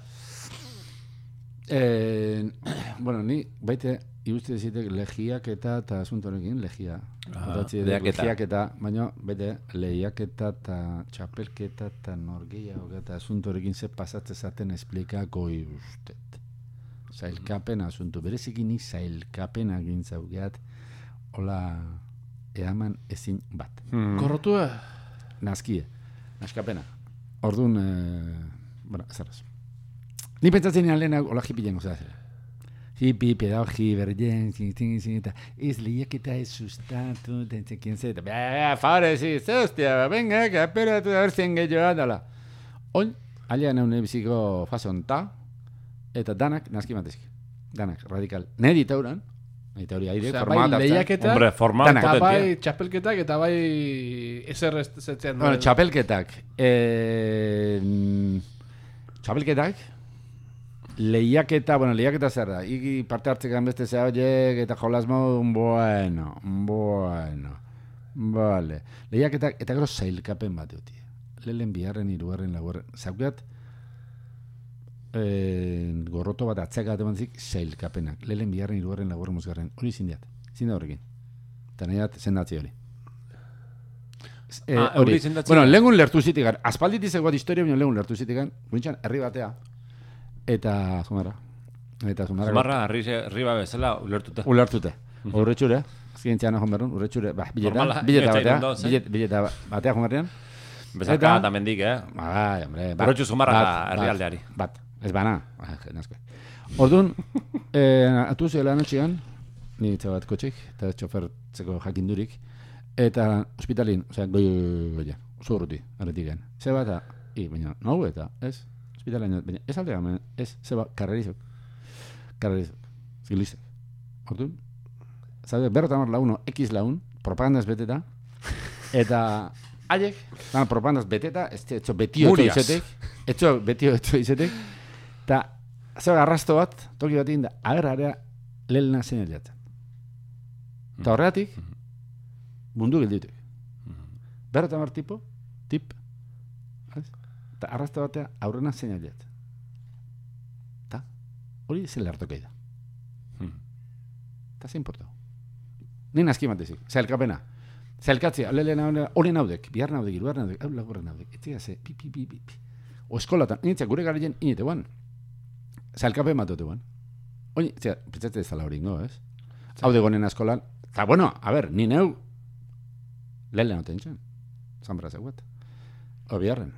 Bueno, ni baite... Iruste dizitek lehiaketa eta asuntorekin, lehiaketa, baina bete lehiaketa eta txapelketa eta norgehiago eta asuntorekin ze pasatze zaten esplikako irustet. Zailkapen asunto, berezikin zailkapen agintzaugeat, hola eaman ezin bat. Korrotua? Nazkie, naskapena. Orduan, zerraz. Ni pentsatzen nian lehenak hola jipilen gozera. Hipi, pedagogi, bergen, eta ez lehiaketa ez sustatu, quién zeta. Favore, hostia, venga, que espérate a ver si engeioa dala. Oin, alian egun biziko fase onta, eta danak nazki matezki. Danak, radikal. Nedi tauran, hori aire, format hartzen. Lehiaketa, hombre, format eta bai txapelketak, eta bai ezer zetzean. Bueno, txapelketak. Lehiaketa zer da, iki parte hartzekan beste zea horiek eta jolasmo, vale. Lehiaketak, eta gero zailkapen bat duti. Lehen biharren, hirugarren, laugarren, zaukeat, gorroto bat atzeka bat zik, zailkapenak. Lehen biharren, hirugarren, laugarren, mozgarren, hori zindiat hori. Eta nahiat zendatzi hori. Bueno, lehengun lertu zitikan, aspalditiz egoat historia, baina lehengun lertu zitikan, guintxan, herri batea, eta Zumarra. Zumarra, arriba bezala, ulertute. Urretxure, azkintzean ahon berrun, urretxure, bileta batea Zumarrian. Bezaka eta mendik, Bai, hombre. Urretxu Zumarra herrialdeari. Bat, ez bana. Orduan, atu zela anotxian, ni bat kotxik, eta txofertzeko jakindurik, eta hospitalin, goia, oso urruti, arretiken. Zeba eta, baina, nahu eta, ez? Hospitalaino, baina ez aldea, ez, zeba, karrerizok, zilizek. Hortu, zabe, berrotamar launo, X laun, propagandaz beteta, eta haiek, propagandaz beteta, etxo betio izetek, eta zeba, arrasto bat, toki bat inda, agerrarea, lelena zen eliatzen. Eta horregatik, mundu gilditik. Berreta mar tip, eta arrasta batea aurrena zein ailet. Eta hori zela hartokei da. Eta zein portau. Nien aski matezik, zailkapena. Zailkatzea, hori naudek, bihar naudek, iruar naudek, hau lagurra naudek. Etzia ze, pi. O eskolatan, initzak gure garrien inite guan. Zailkapen batote guan. Oin, pentsatzen ez zala hori ingo, ez? Hau de gonen eskolan. Eta, bueno, a ver, ni neu lehen noten txen. Zambra zeuet. O biharren.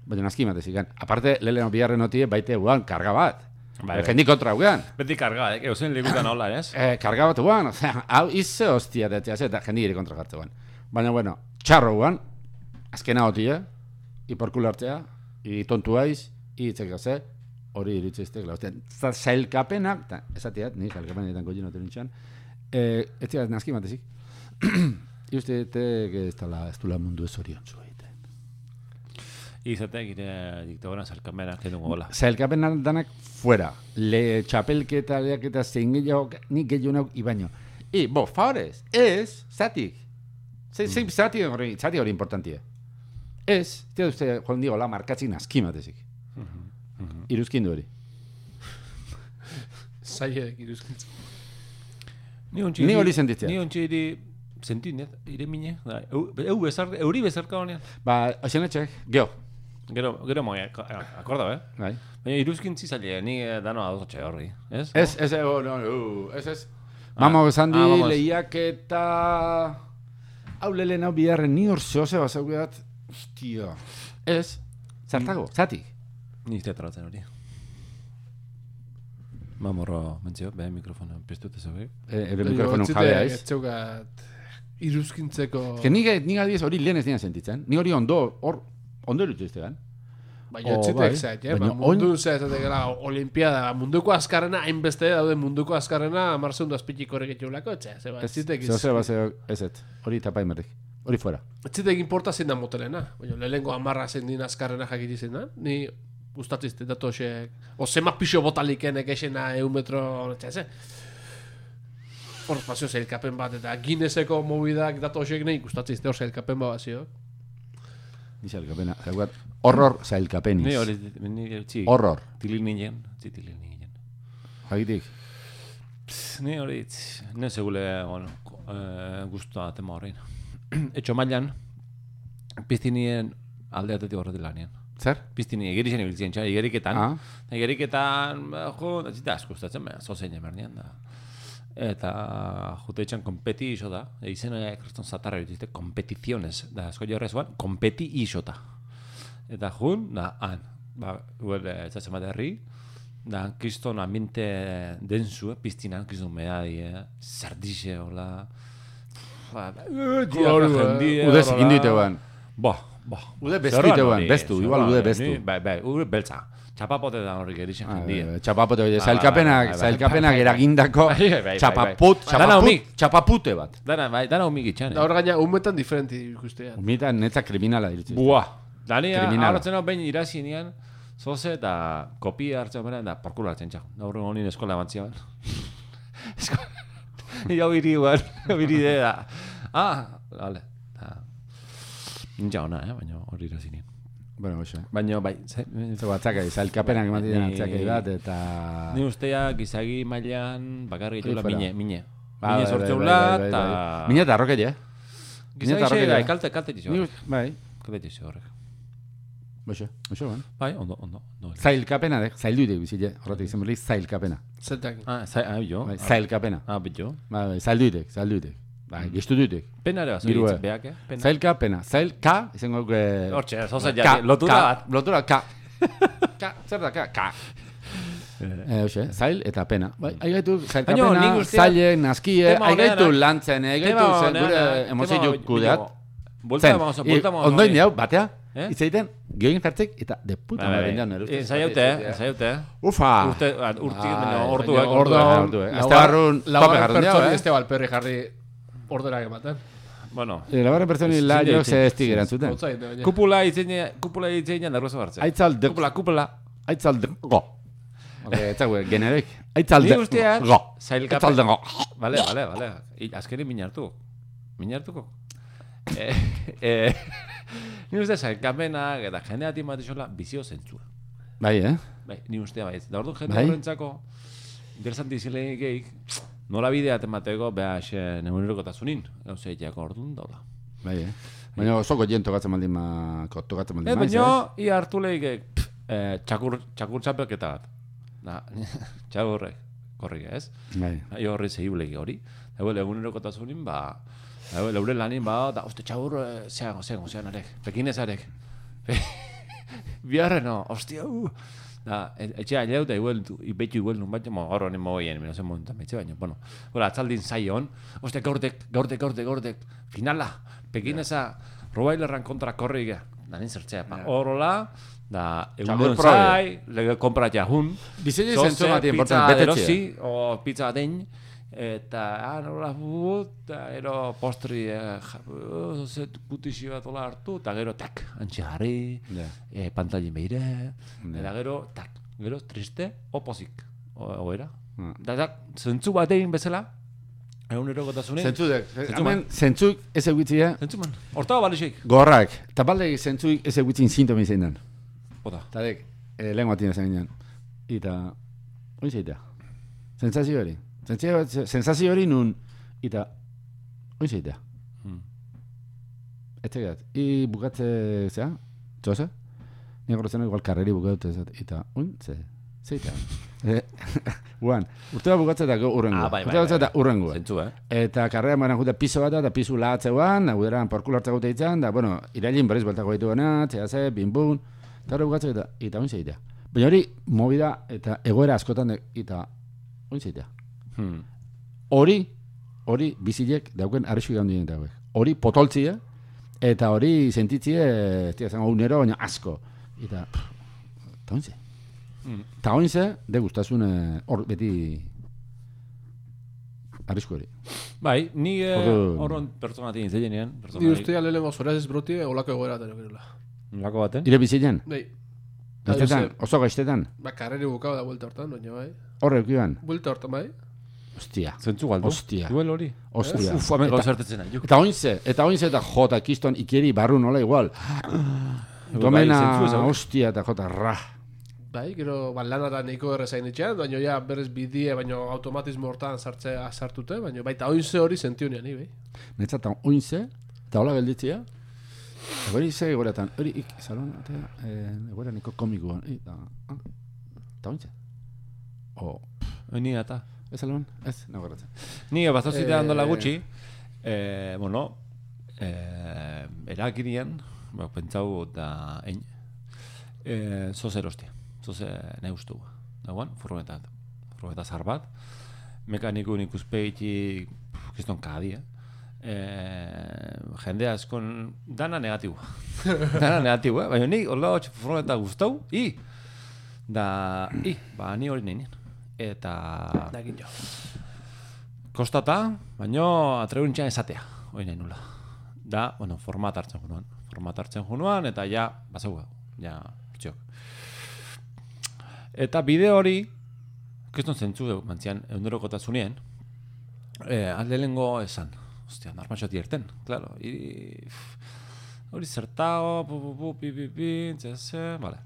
Baina aski matezik. Aparte, lehen biharren notie baite guan, karga bat. Jendik kontra guan. Beti karga, eusen ligutan hola, ez? Karga bat guan, hau izze hostia detea, eta jendik ere kontra jartze guan. Baina, bueno, txarro guan, azkena hotia, iporkul hartzea, tontu haiz, itzek gaze, hori iritzeiztek, zailkapenak, eta esatiat, ni zailkapenetan gogin noten nintxan, ez zirat nazki matezik. Iuste ez dula mundu ez orion zua. Izatek ire diktagoran zailkapenak edungo gola. Zailkapenak danak fuera. Le txapelketa, leaketa, zein gehiago, nik gehiago nauk ibaino. Favorez, ez, zatik. Zati hori importantia. Ez, tia uste, joan digo, la markatzik naskimatezik. Iruzkindu hori. Zaiek iruzkintzu. Ni hori sentitzea. Ni ontsi sentit, ire mine. Euri bezarka honean. Oxen etxek, geho. Gero moi, akorda, Bai. Baina iruzkintzi zaila, ni dano adotxe horri, ez? Ez. Mamo zandi, lehiak eta... Hau lehen hau biharren, ni hor zehose bazaukeat, hostia. Ez, zartago, zatik. Ni teatratzen hori. Mamorro mentzio, beha mikrofono piztute zabe. Ebe mikrofonon jabea ez. Ez zeugat iruzkintzeko... Nik adiez hori lehen ez dina sentitzen. Ni hori ondo erutzeiztegan. Baina txitek zait, mundu zaitatek gara olimpiada, munduko azkarrena, hainbeste daude munduko azkarrena, marzeundu azpitik horrek etxeulako, txitek hori tapaimerrik, hori fuera. Txitek importa zein da motelena, baina lehenko amarra zein din azkarrena jakiti zein da, ni gustatzizte datu hosek, o zema pixo botaliken ekesena metro, txase. Hor espazio zailkapen bat, eta Guinnesseko mobidak datu hosek nahi gustatzizte hor zailkapen bat bazio. Ni zailkapena, horror zailkapeniz. Ni hori, horror. Tilil ninen. Jagitik. Ni hori, ne segule, guztua tema horrein. Etxo mailan, piztinien alde atetik horretik lanien. Zer? Piztini, egerixen ibiltzen txar, egeriketan, zita asko ustatzen, zozein emernian da. Eta jute etxan kompeti iso da, izena ekreston zatarra dituzte, kompetiziones, da asko jorrez guan, kompeti iso da. Eta jun, da, han, etzatzen bat herri, da, kriston ambiente denzu, piztinan, kriston medadi, sardixe, hola, udez indite guan. Ude bestu ite guan, bestu, igual ude bestu. Bai, ude beltza. Txapapote da horrik erixen jendia. Txapapote, zailkapenak eragindako txapapute bat. Dana humik itxan. Da hor gaina, humetan diferenti ikustea. Humetan netza kriminala iritsi. Buah. Dani hartzen hau behin irazinean, zoze eta kopia hartzen bera, da porkula hartzen txau. Da horren honin eskola emantzia bat. Hau iri guan, hau iri da. Vale. Ninja hona, baina hori irazinean. Bueno, oso. Baina, bai, zailkapenak zailkapenak ematen atzakai bat, eta... Ni ustea, gizagi mailan, bakarri etxula mine. Mine sortzeula, eta... Mine eta arrokeri, Gizagi xe, da, kalte txio. Bai. Kalte txio horrek. Oso, ban. Bai, ondo. Zailkapena, zailduitek bizile, horretik izan berri, zailkapena. Zeltak. Jo. Zailkapena. Bitxo. Bai, zailduitek. Bai, giztu duitek. Pena ere bat, zuritzen behak, Zailkapena. Zailka, izango... Hortxe, zozen jati, lotura bat. Lotura, ka. Zer da, ka. Zail eta pena. Aigaitu, zailkapena, zaile, naskie, aigaitu lantzen, aigaitu zen gure emozio kudeat. Zen, ondoin diau, batea, itzaiten, geoin jartzek, eta de puta madre indian erustu. Zayaute. Ufa! Orduak. Laugarren pertsoni este balperri jarri orderak ematen. Bueno. Laugarren pertsoni laio ze estik erantzuten. Kupula itzeina darrozo hartzen. Aitzaldeko. Kupula. Aitzaldeko. Etzague, generek. Aitzalde. Ni guztian, Go. zailkapen. Aitzalde go. Vale. Azkenin minartuko. Ni uste zailkapenak eta jendea timatizola bizio zentzua. Bai, Bai, ni ustea bai. Da orduan jende Bai. horrentzako interesanti zilenik geik, nola bidea temateko, beha, neunerokotasunin, gauzeiak orduan dauda. Bai, Baina osoko jen tokatzen baldin tokatzen baldin Baina, ia hartu lehik, txakur txapelketa bat. Da, txakurrek, korrik ez? Bai. Horri zehibuleik hori. Eguel, egunerokotasunin, leure lanin, da, oste txakur, zean arek, pekinezarek. Biarreno, ostia, Da, etxea aileu da betu igual nun bat, gaur honen mogoien, no zen momentan betxe baino, bueno. Hola, atzaldin zaion, oste gaurdek, finala, pekineza, robailerran kontra korriga, da nin zertzea, horrola, da, egun zai, lege kompra jahun, Diseño zentzu bat importante, betetxea. O pizza batein, eta, nola eta gero postri, putixi bat ola hartu, eta gero, tak, antxe jarri, pantalin behire, eta gero, tak, gero, triste, opozik, oera. Da, zentzu bat egin bezala, egunerokotasunen. Zentzuk ez egitzia. Zentzuman, hortago balixeik. Gorrak, eta balde zentzuk ez egitzin sintomi zein den. Ota. Eta dek, lengua tina zen ginen. Eta, oin zeitea. Sentsazio hori. Sensazio hori nun, eta, oin zeitea. Ez tegat, bukatze, zea, txosa? Nia gortzen igual karreri bukatu, eta, oin zeitea. Guan, urte bat bukatzea eta urrengo. Urte bat eta urrengo. Zentzu, Eta karrera maran jute piso bat eta piso lahatzeuan, guderan porkul hartzeko teitzan, da, bueno, irailin berriz bueltako ditu gana, txeaze, binbun, eta hori bukatzea eta oin zeitea. Baina hori, movida eta egoera askotan, eta oin zeitea. Hori bizilek dauken arrisku gaun dien dauek. Hori potoltzia, eta hori sentitzie, zango unero, baina asko. Eta oinze. Eta oinze, de gustazun hor beti arrisku hori. Bai, ni horron pertsonatik intzeienean. Ni ustea lehenengo zoraz ez broti, olako egoera dara berula. Olako baten? Ire bizilean? Bai. Gaztetan, oso gaiztetan? Karreri bukau da vuelta hortan, baina bai. Horre eukiban? Vuelta hortan bai. Ostia. Zentzu galdu? Ostia. Duel hori? Ostia. Uf, hamen gauzartetzen nahi. Eta oinze eta jota kiston ikeri barru nola igual. Domena, ostia eta jota ra. Bai, gero lanara neiko errezain etxean, baina ja berrez bidie, baina automatismo hortan sartute, baina baita oinze hori sentionean, bai. Netzat oinze, eta hola gelditzea, hori ze egoretan, hori salon, egoera niko komikoan, eta oinze. Ni eta. Ez salon? Ez, nago garratzen. Ni bazazite handola gutxi, erakirien, pentsau da egin, zoze erostia, zoze nahi ustu. Dagoan, furgoneta zar bat, mekanikun ikuspeiti, kiston kadi, jende askon, dana negatibo. Baina ni, hola furgoneta guztau, ni hori nahi nien. Eta Dakin jo. Kostata, baino atrebuntxean esatea, hori nahi nula. Da, bueno, format hartzen junuan, eta ja, bazau, ja, pitxok. Eta bideo hori, kiston zentzu mantzian, egunerokotasunean, alde lengo esan. Ostia, narmatxoti erten, claro. Hori zertao, txese, vale.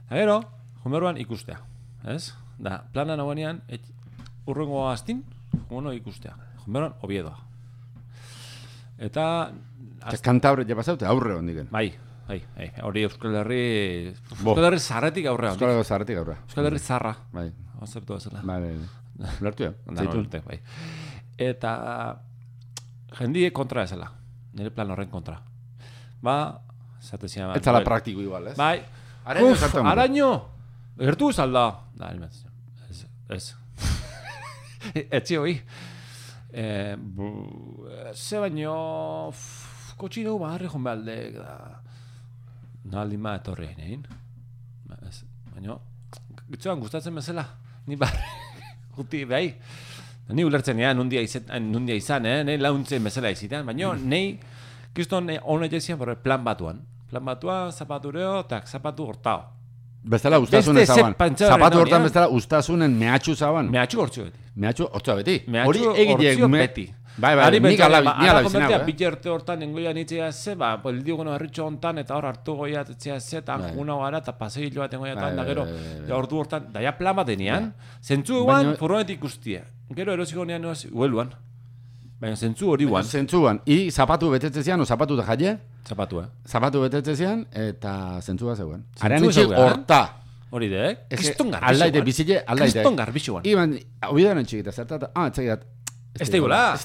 Eta gero, jumeruan ikustea, ez? Da, plana nagoenean, urrengo astin, jumono ikustea. Jumeruan, Oviedoa. Eta... Kantabre ja pasaute, aurre hondiken. Bai, hori Euskal Herri zarretik aurre hondik. Euskal Herri zarra. Bai. Ozertu bezala. Bai. Lertu ya. Bai. Eta jendie kontra ezela. Nire plan horren kontra. Ba, zatezia... Ez ala praktiko igual, ez? Bai. Araño! Gertu zalda. Da, ez. Etzi hoi. Ze baino... Kotxineu barri joan behaldek da... Naldi ma etorri egin. Baina... Gitzuan gustatzen bezala. Ni barri... Guti, bai. Ni ulertzen ea, nundia izan, nahi launtzen bezala izitan. Baina, nahi... Kiston honek jaizien plan batuan. Plan batuan, zapatureo, eta zapatu hortao. Bestela ustasun Beste ezaban. zepantza Zapatu horren hortan hau, bestela ustasunen mehatxu zaban. Mehatxu hortzu beti. Mehatxu hortza beti. Mehatxu Hori egitek hortzio beti. Bai, nik ala bizinago, Bitxerte hortan nengoia nitzea ze, poldiugono herritxo hontan, eta hor hartu goia etzea ze, eta juna gara, eta paseillo bat engoia da gero, ordu hortan, daia plan bat denean, zentzu eguan, furgonetik guztia. Gero erosiko nean noaz, hueluan. Baina zentzu hori guan. Zentzuan, i zapatu betetzezian, o zapatu da jaie? Zapatu, Zapatu betetzezian, eta zentzua zegoen. Zentzu zegoen, horta. Hori de, kriston garbixuan. Aldaite, bizile, aldaite. Kriston garbixuan. Iban, obidearen txikita, zertata, etzagiat, Ez da iguala.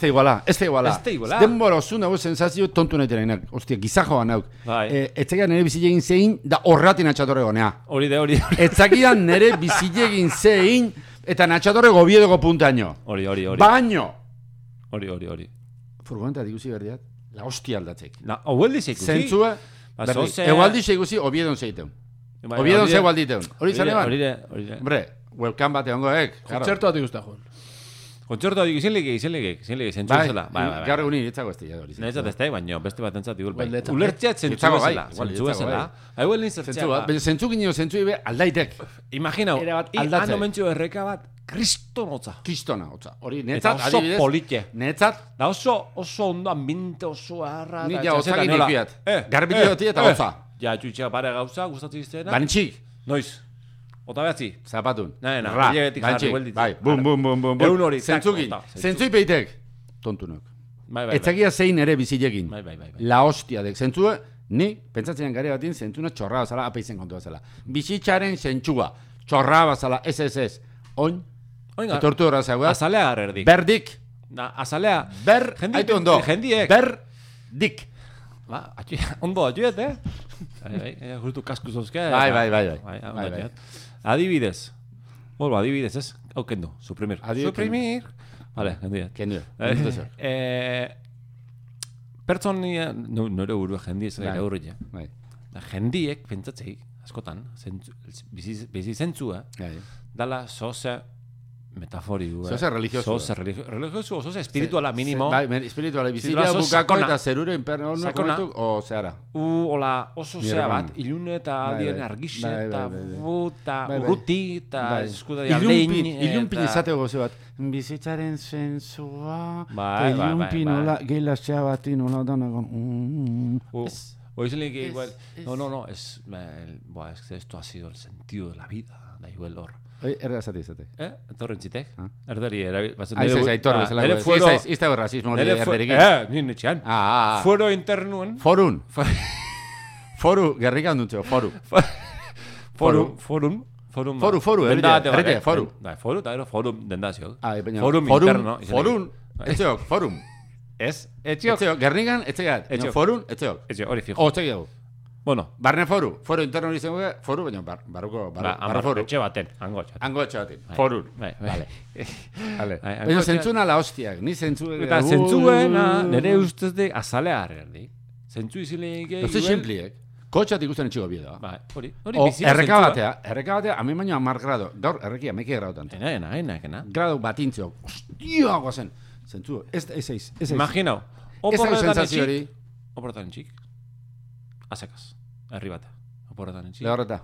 Ez da iguala. Denbora osun dago sensazio tontu nahi terenak. Ostia, gizajoa nauk. Etzakian nire bizilegin zein, da horratin atxatorre gonea. Hori. Etzakian nire bizilegin zein, eta natxatorre gobiedoko puntaino. Hori. Baino. Hori. Furgoneta diguzi berdiat, la hostia aldatzek. Ogueldi zeikusi. Zentzua, egualdi zeikusi, obiedon zeiteun. Obiedon zegualditeun. Hori zane ban? Hori. Hombre, welcome bat egongoek. Kontzertu bat ikusta joan. Kontzertu hori izenlegek, zentzu zela. Gaur egun iritzago ez dira hori. Netzat ez da, baina beste bat entzat igul bai. Netzat. Ulertzeat zentzu zela. Zentzu zela. Hauel nintzertzea. Baina zentzu gineo zentzu ibe aldaitek. Imaginau, hando mentxu erreka bat, kriston hotza. Kristona hotza. Hori Eta netzat, oso adibidez. politxe. Netzat. Da oso ondo ambinte oso harra. Nik ja hotzak inikiat. Garbile hoti eta hotza. Ja, txutxea pare gauza, gustatzen iztena. Banitxik. Noiz. Ota behatzi. Zapatun. Ra, banitxik. Bai, bum. Egun hori. Zentzukin. Zentzui peitek. Tontunok. Etzakia zein ere bizilekin. Bai. La hostia dek. Zentzua, ni, pentsatzean gari batin, zentzuna txorra bazala, apaizen kontu bazala. Bizitzaren zentzua. Txorra bazala, ez. Oin. Etortu horra zaugat. Azalea garrerdik. Berdik. Azalea. Haitu ondo. Jendiek. Berdik. Ondo, atxuet, justu kasku zozke. Bai. Adibidez. Bolba, adibidez, ez? Hau kendu, suprimir. Vale, kendu. Pertsonia, nore burua jendiez, gara hurri. Jendiek, pentsatzei, askotan, bizi zentzua, dala zoze metafori du. Zoze religioso. Religioso, zoze espirituala mínimo. Bai, espirituala bizila bukako eta zerure imperno komentu, o zehara. Ola, oso zea bat, ilune eta aldien argixe, eta buta, urruti, eta eskudadia lehin. Ilunpin izateko goze bat. Bizitzaren zentzua, ilunpin nola, gehilasea bati nola danak. Oizelik igual, no, es que esto ha sido el sentido de la vida, da igual hor. Erda zate. Etorren zitek? Erdari, aitor bezala. Ez da rasismo hori erderikin. Nien etxean. Fuero internuen. Forun. Foru, gerrika ondutxo, foru. Forum, errete, foru. Foru, eta gero forum dendazio. Forum interno. Forum. Ez, etxiok. Gernikan, etxegat. Forun, etxeok. Etxiok, hori fijo. Otxeak. Bueno. Barne foru interno hori zengo, foru, baina barruko foru. Etxe baten, hango etxe baten. Forun. Vale. Baina zentzuna la hostiak, ni zentzue. Eta zentzuena, nire ustez de azalea harrerdi. Zentzu izileik egin. Ez simpliek. Kotxat ikusten etxiko bidea. Bai, hori bizia zentzua. Erreka batea, hami baino 10 grado. Gaur, errekia, meke grado tanto. Ena. Grado batintzio. Hostia, guazen. Zentzu, ez. Imaginau. Oporretan txik. Azekaz. Herri bat. Oporretan txik. Lehorreta.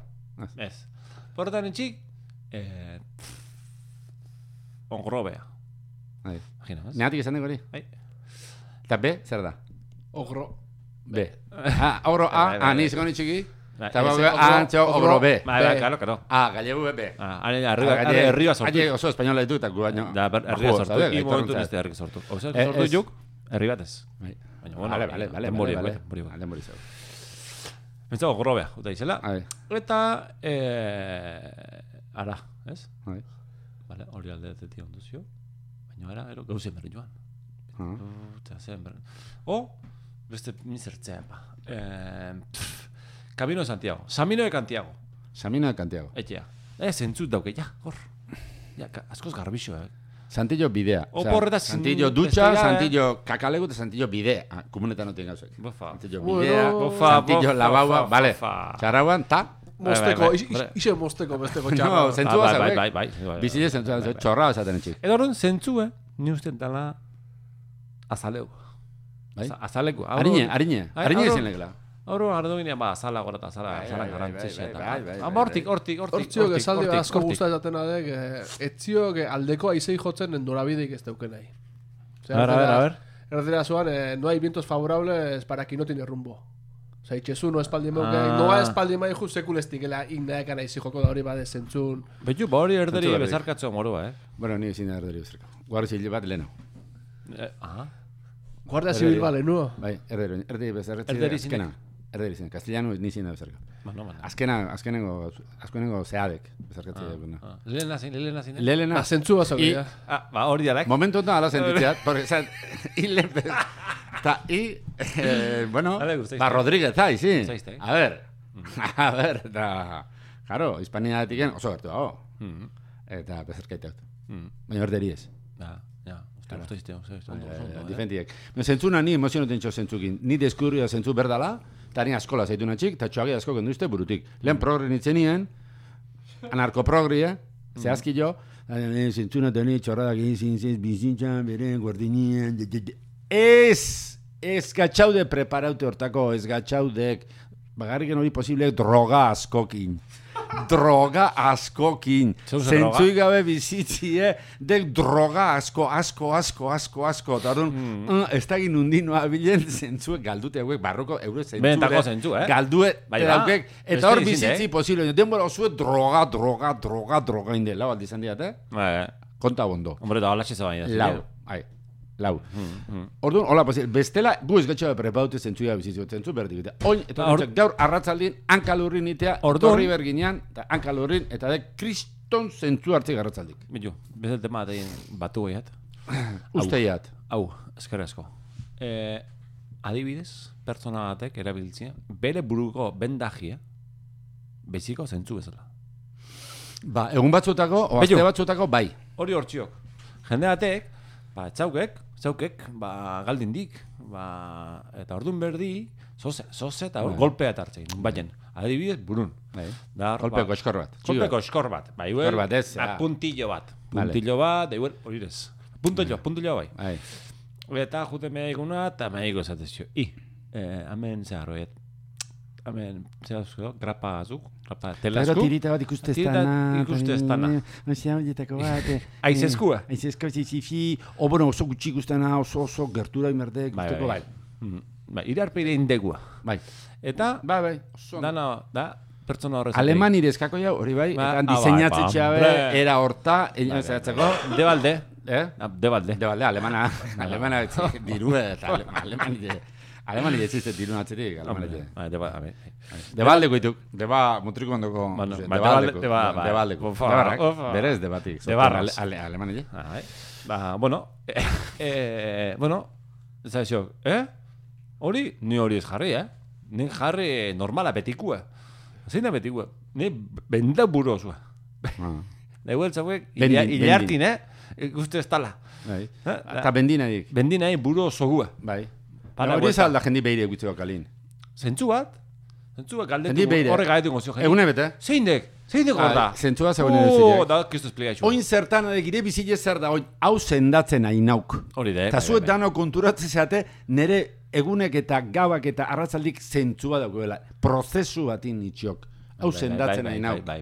Ez. Oporretan txik. Ongrobea. Imagina, ez? Neatik esan dugu hori? Eta B, zer da? Ogro. B. Ogro A, ni izan txiki? Eta ogro B. Bai, claro. Gallegu B. Herria sortu. Aile oso espainola ditu eta gu baino. Herria sortu. I momentu neste herri sortu. Ozer, sortu juk, herri batez. Baina, bueno, vale. Pentsago grobea, uta izela. Eta, ara, ez? Vale, hori aldeatetik onduzio. Baina ara, gauzen berri joan. Beste mizertzea, Camino de Santiago. Samino de Santiago. Etxea. Zentzut dauke, hor. Askoz garbixo, Santillo bidea. Santillo dutxa, Santillo kakalegu eta Santillo bidea. Komunetan no tenga zuek. Santillo bidea, Santillo labaua, vale. Txarrauan, ta? Mosteko, ise mosteko besteko txarra. No, zentzua zauek. Bai. Bizile zentzua zauek, txorra esaten etxik. Edo horren zentzue, ni usten dala azaleu. Azaleku. Arine ezin legela. Horro hartu ginean, azala gora eta azala garantzixe. Hortik. Hortziok esaldi asko guzta esaten adek, etziok aldeko aizei jotzen norabideik ez deuken nahi. A ver. Erretera zuan, no hay vientos favorables para quien no tiene rumbo. Osa, itxezu, no espaldi meuke, noa espaldi mai just sekulestikela indaekan aizi joko da hori bade zentzun. Betu, hori erderi bezarkatzu morua, Bueno, ni ezin da erderi bezarka. Guardia zibil bat leheno. Guardia zibil bat lehenu? Bai, erderi bezarkatzi azkena. Erderi zen, castellano ni zin da bezarka. Azkenengo zeadek bezarkatzi da. Lelena zin? Lelena. Zentzu bazak, ja. Hori dialek. Momentu enta ala sentitzeat, porque, bueno, Rodríguez, sí. A ver, claro, Hispaniatik oso gertu dago. Eta bezarkaitak. Baina erderi ez. Difentiek. Zentzuna ni emozionoten txo zentzukin. Ni deskurria zentzu berdala, eta ni askola zaitu natxik, eta txoagi asko genduzte burutik. Lehen progri nintzen nien, anarkoprogria, zehazki jo, zentzuna teni txorradak egin zintzez, bizintxan, beren, guardinien, ez gatxaude preparaute hortako, ez gatxaudek, bagarriken hori posible droga askokin. Zentzuik gabe bizitzie, dek droga asko. Eta orduan, ez da gin undinoa bilen zentzuek galdute hauek, barroko eure zentzure. Galdue, eta hor bizitzi posible. Denbora osue droga indela, baldizan diat, Konta bondo. Hombre, da hola txiza baina. Lau. Orduan, hola, bestela, gu ez gatxoa prepaute zentzuia bizitzu, zentzu berdik. Oin, eta gaur arratzaldien hankalurrin itea, torri berginean, eta hankalurrin, eta de kriston zentzu hartzik arratzaldik. Bitu, bezal tema atein batu gaiat. Usteiat. Hau, eskerrezko. Adibidez, pertsona batek erabiltzia, bere buruko bendajia, beziko zentzu bezala. Ba, egun batzutako, o azte batzutako, bai. Hori hortziok. Jende batek, txaukek, galdindik, eta ordun berdi, zoze eta golpea eta hartzein, baina, adibidez, burun. Golpeko eskor bat. Golpeko eskor bat, puntillo bat, hori ez. Puntillo bai. Eta jute mehaiguna, eta mehaiko esatezio. Hemen zeharroet. Hemen, zehazko, grapa azuk, grapa telasku. Eta tirita bat ikuste ez dana. Aizezkua. Aizezkua, zizifi, oso gutxi ikustena, oso gertura imerdek. Bai. Irarpeire indegua. Bai. Eta, dana, da, pertsona horrez. Aleman irezkako jau, hori bai, eta diseinatze txabe, era horta, zehatzeko. Debalde. Debalde, alemana dirue, eta alemani ezizte dirun atzetik, Debaldeko ituk, mutriko ondoko, debaldeko, berez debatik. Debarraz. Alemani, zaizio, hori, ni hori ez jarri, Ni jarri normala betikua. Zein da betikua? Ni benda buru osua. Dago eltzauek, hilartin, ikuste ez tala. Eta bendinaik. Bendinaik buru osogua. Bai. Hori ez alda jendi behire egutzeko kalin. Zentzu bat galdetu horrek gaetu gozio jendi. Egune bete? Zeindek gorda. Zentzu bat zegoen edo Da, kistu esplikaizu. Oin zertan adek ire bizile zer da, hau zendatzen hainauk. Hori da, eta zuet dano konturatzen zeate, nire egunek eta gabak eta arratzaldik zentzua dagoela. Prozesu batin itxiok. Hau zendatzen hainauk. Bai.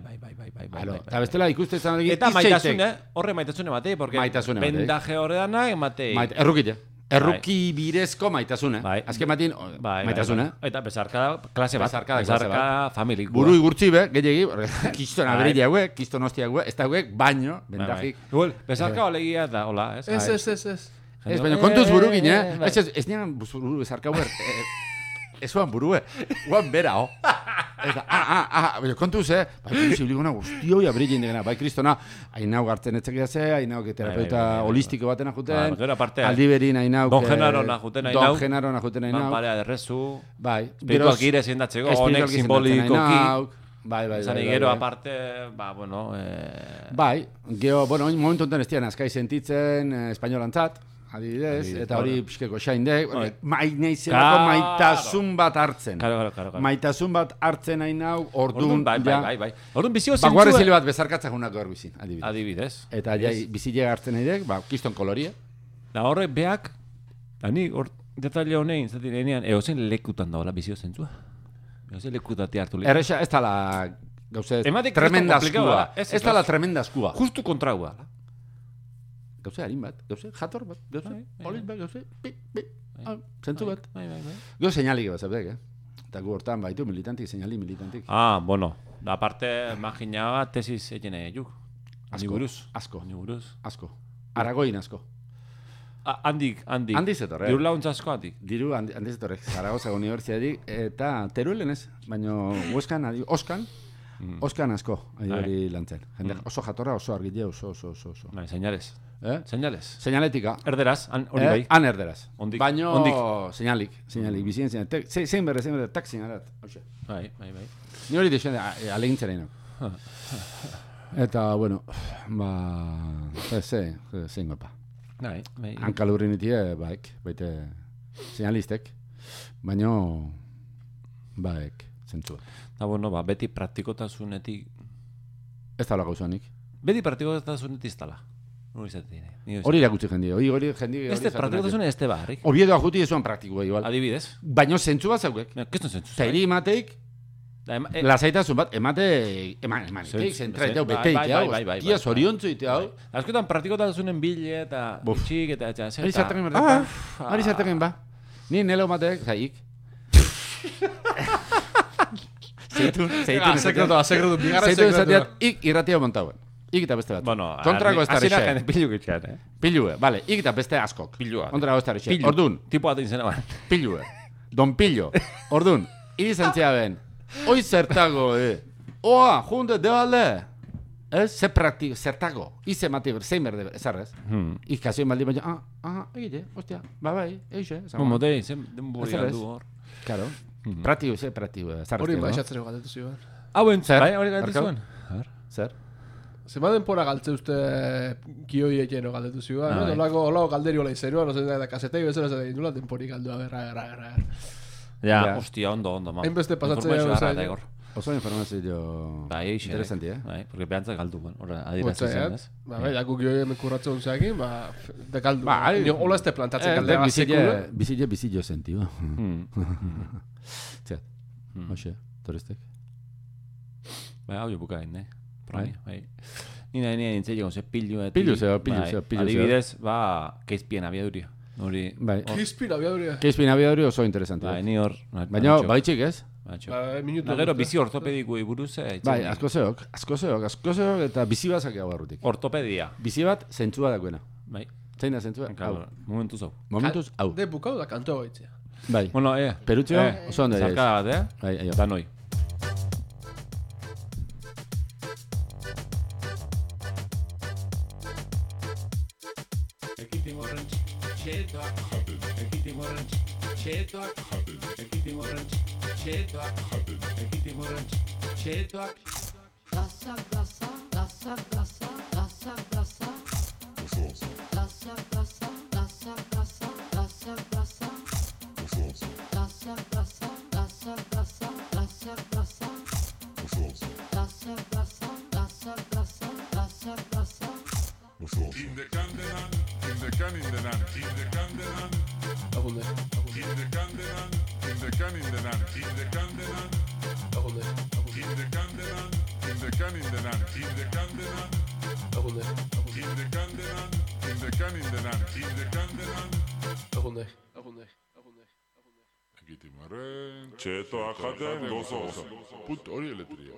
Eta bestela ikuste zan adek eta maitasune, horre maitasune matei, porque bendaje horreana ematei. Errukite. Erruki birezko maitasune. Azken matin, maitasune. Eta bezarka klase bat. Bezarka familik. Buru igurtzi be, gehiagi, kiston aberilla hue, kiston hostia hue, ez da hue, baino, bentajik. Bezarka olegia da, hola, ez? Ez. Baina kontuz buru gine, ez nian buru bezarka hue, ez oan burue, oan bera, kontuz, bai, posibliguna guztioi aberilla indegena, bai, kristona, hainau gartzen etzekia ze, hainau terapeuta holistiko baten ajuten, aldiberin hainau, Don Genaro ajuten hainau, Manparea derrezu, bai, espirituak ire zendatzeko, honek simbolikoki, bai. Gero aparte, bai, gero, bueno, momentu enten ez dian azkai sentitzen espainolantzat, adibidez, eta hori pixkeko xaindek, maineizelako maitasun bat hartzen. Maitasun bat hartzen hain hau, orduan, bai. Orduan bizio zentzua. Baguarezile bat bezarkatzak unak gaur bizin, adibidez. Eta bizile hartzen haidek, kiston koloria. Da horrek beak, da ni, detaile honein, zaten enean, eozen lekutan daola bizio zentzua. Ez lekutati hartu lik. Erresa, ez tala gauze Ematek tremenda kristo komplikau askua. da, Ez tala tremenda askua. Justu kontraua. Gauze harin bat, gauze jator bat, gauze Bai, bai, polit bat, gauze pi, zentzu bat. Bai. Gauze seinalik bat, zabek, Eta gu hortan baitu militantik, seinali militantik. Bueno, da parte imaginaba tesis egine juk. Asko. Aragoin asko. Handik. Handi zetorre. Diru launtza asko handik. Diru handi zetorre. Zaragoza Unibertsitatetik eta Teruelen ez, baina Hueskan, Oskan asko hori lantzen. Jende oso jatorra, oso argile, oso. Bai, señales. Señales. Señaletika. Erderaz, hori bai. Han erderaz. Baino señalik, bizien señalik. Zein berre, tak señalat. Bai. Ni hori dixen, alegintzaren. Eta, bueno, zein gopa. Bai. Hankalurri nitie, baite señalistek, baino, zentzua. Da, bueno, beti praktikotasunetik... Ez da lako usanik. Beti praktikotasunetik ez dala. Hori irakutsi jendia, hori jendia... Ez de praktikotasune ez de barrik. Obiedoa juti ezuan praktikoa igual. Adibidez. Baino zentzu bat zaukek. Keston zentzu. Zairi emateik, lasaitasun bat, emateik, zentraiteu, beteik, tia zoriontzu ite hau. Azkotan praktikotasunen bile eta txik eta... Hori zarteken ba. Ni nelo emateik, zaik. Sekretu, bigarra sekretua. Ik irratia montauen. Ik eta beste bat. Bueno, kontrako ez da azira jende pilu gitxan, Pilue, bale, ik eta beste askok. Pilua. Kontrako ez da rexe. Ordun. Tipo bat izena ban. Pilue. Don Pillo. Ordun. Iri zentzia ben. Oi zertago, Oa, junte, debalde. Ze praktiko, zertago. Ize mati, zein berde, ezarrez. Ikazioen baldi baina, egite, ostia, bai, eixe. Motei, zen denbori galdu hor. Claro. Praktiko, ezarrez. Hori baixatzero galdetu zioan. Hauen, zer? Bai, hori galdetu zuen. Zer? Zema denpora galtze uste kioi egeno galdetu zioan, olako galderi hola izeruan, da kasetei bezala zer dula denpori galdua, berra. Ja, ostia, ondo, ma. Hainbeste pasatzea Oso informazio interesanti, Bai, porque behantzak galdu, horre, adiratzen zen, ez? Bai, jaku kioi hemen kurratzen zeakin, de galdu. Ola ez te plantatzen galdea bizillo sentio. Txat, hoxe, toristek. Bai, hau jo bukain, Bai. Nina nintzen jogon ze pillu. Pillu. Adibidez, keizpien abiaduria. Keizpien abiaduria. Keizpien abiaduria oso interesante. Bai, ni hor. Baina, baitxik ez? Gero, bizi ortopedikui buruz. Bai, asko zeok, eta bizi bat zakea barrutik. Ortopedia. Bizi bat zentzua dagoena. Bai. Zein da zentzua? Momentuz hau. hau. De bukau da kantoa baitzea. Bai. Bueno, Perutxo, oso ondo ere. Zarkada bat, Bai, aio. Da noi. Četoak jaten gozoz. Put hori eletria.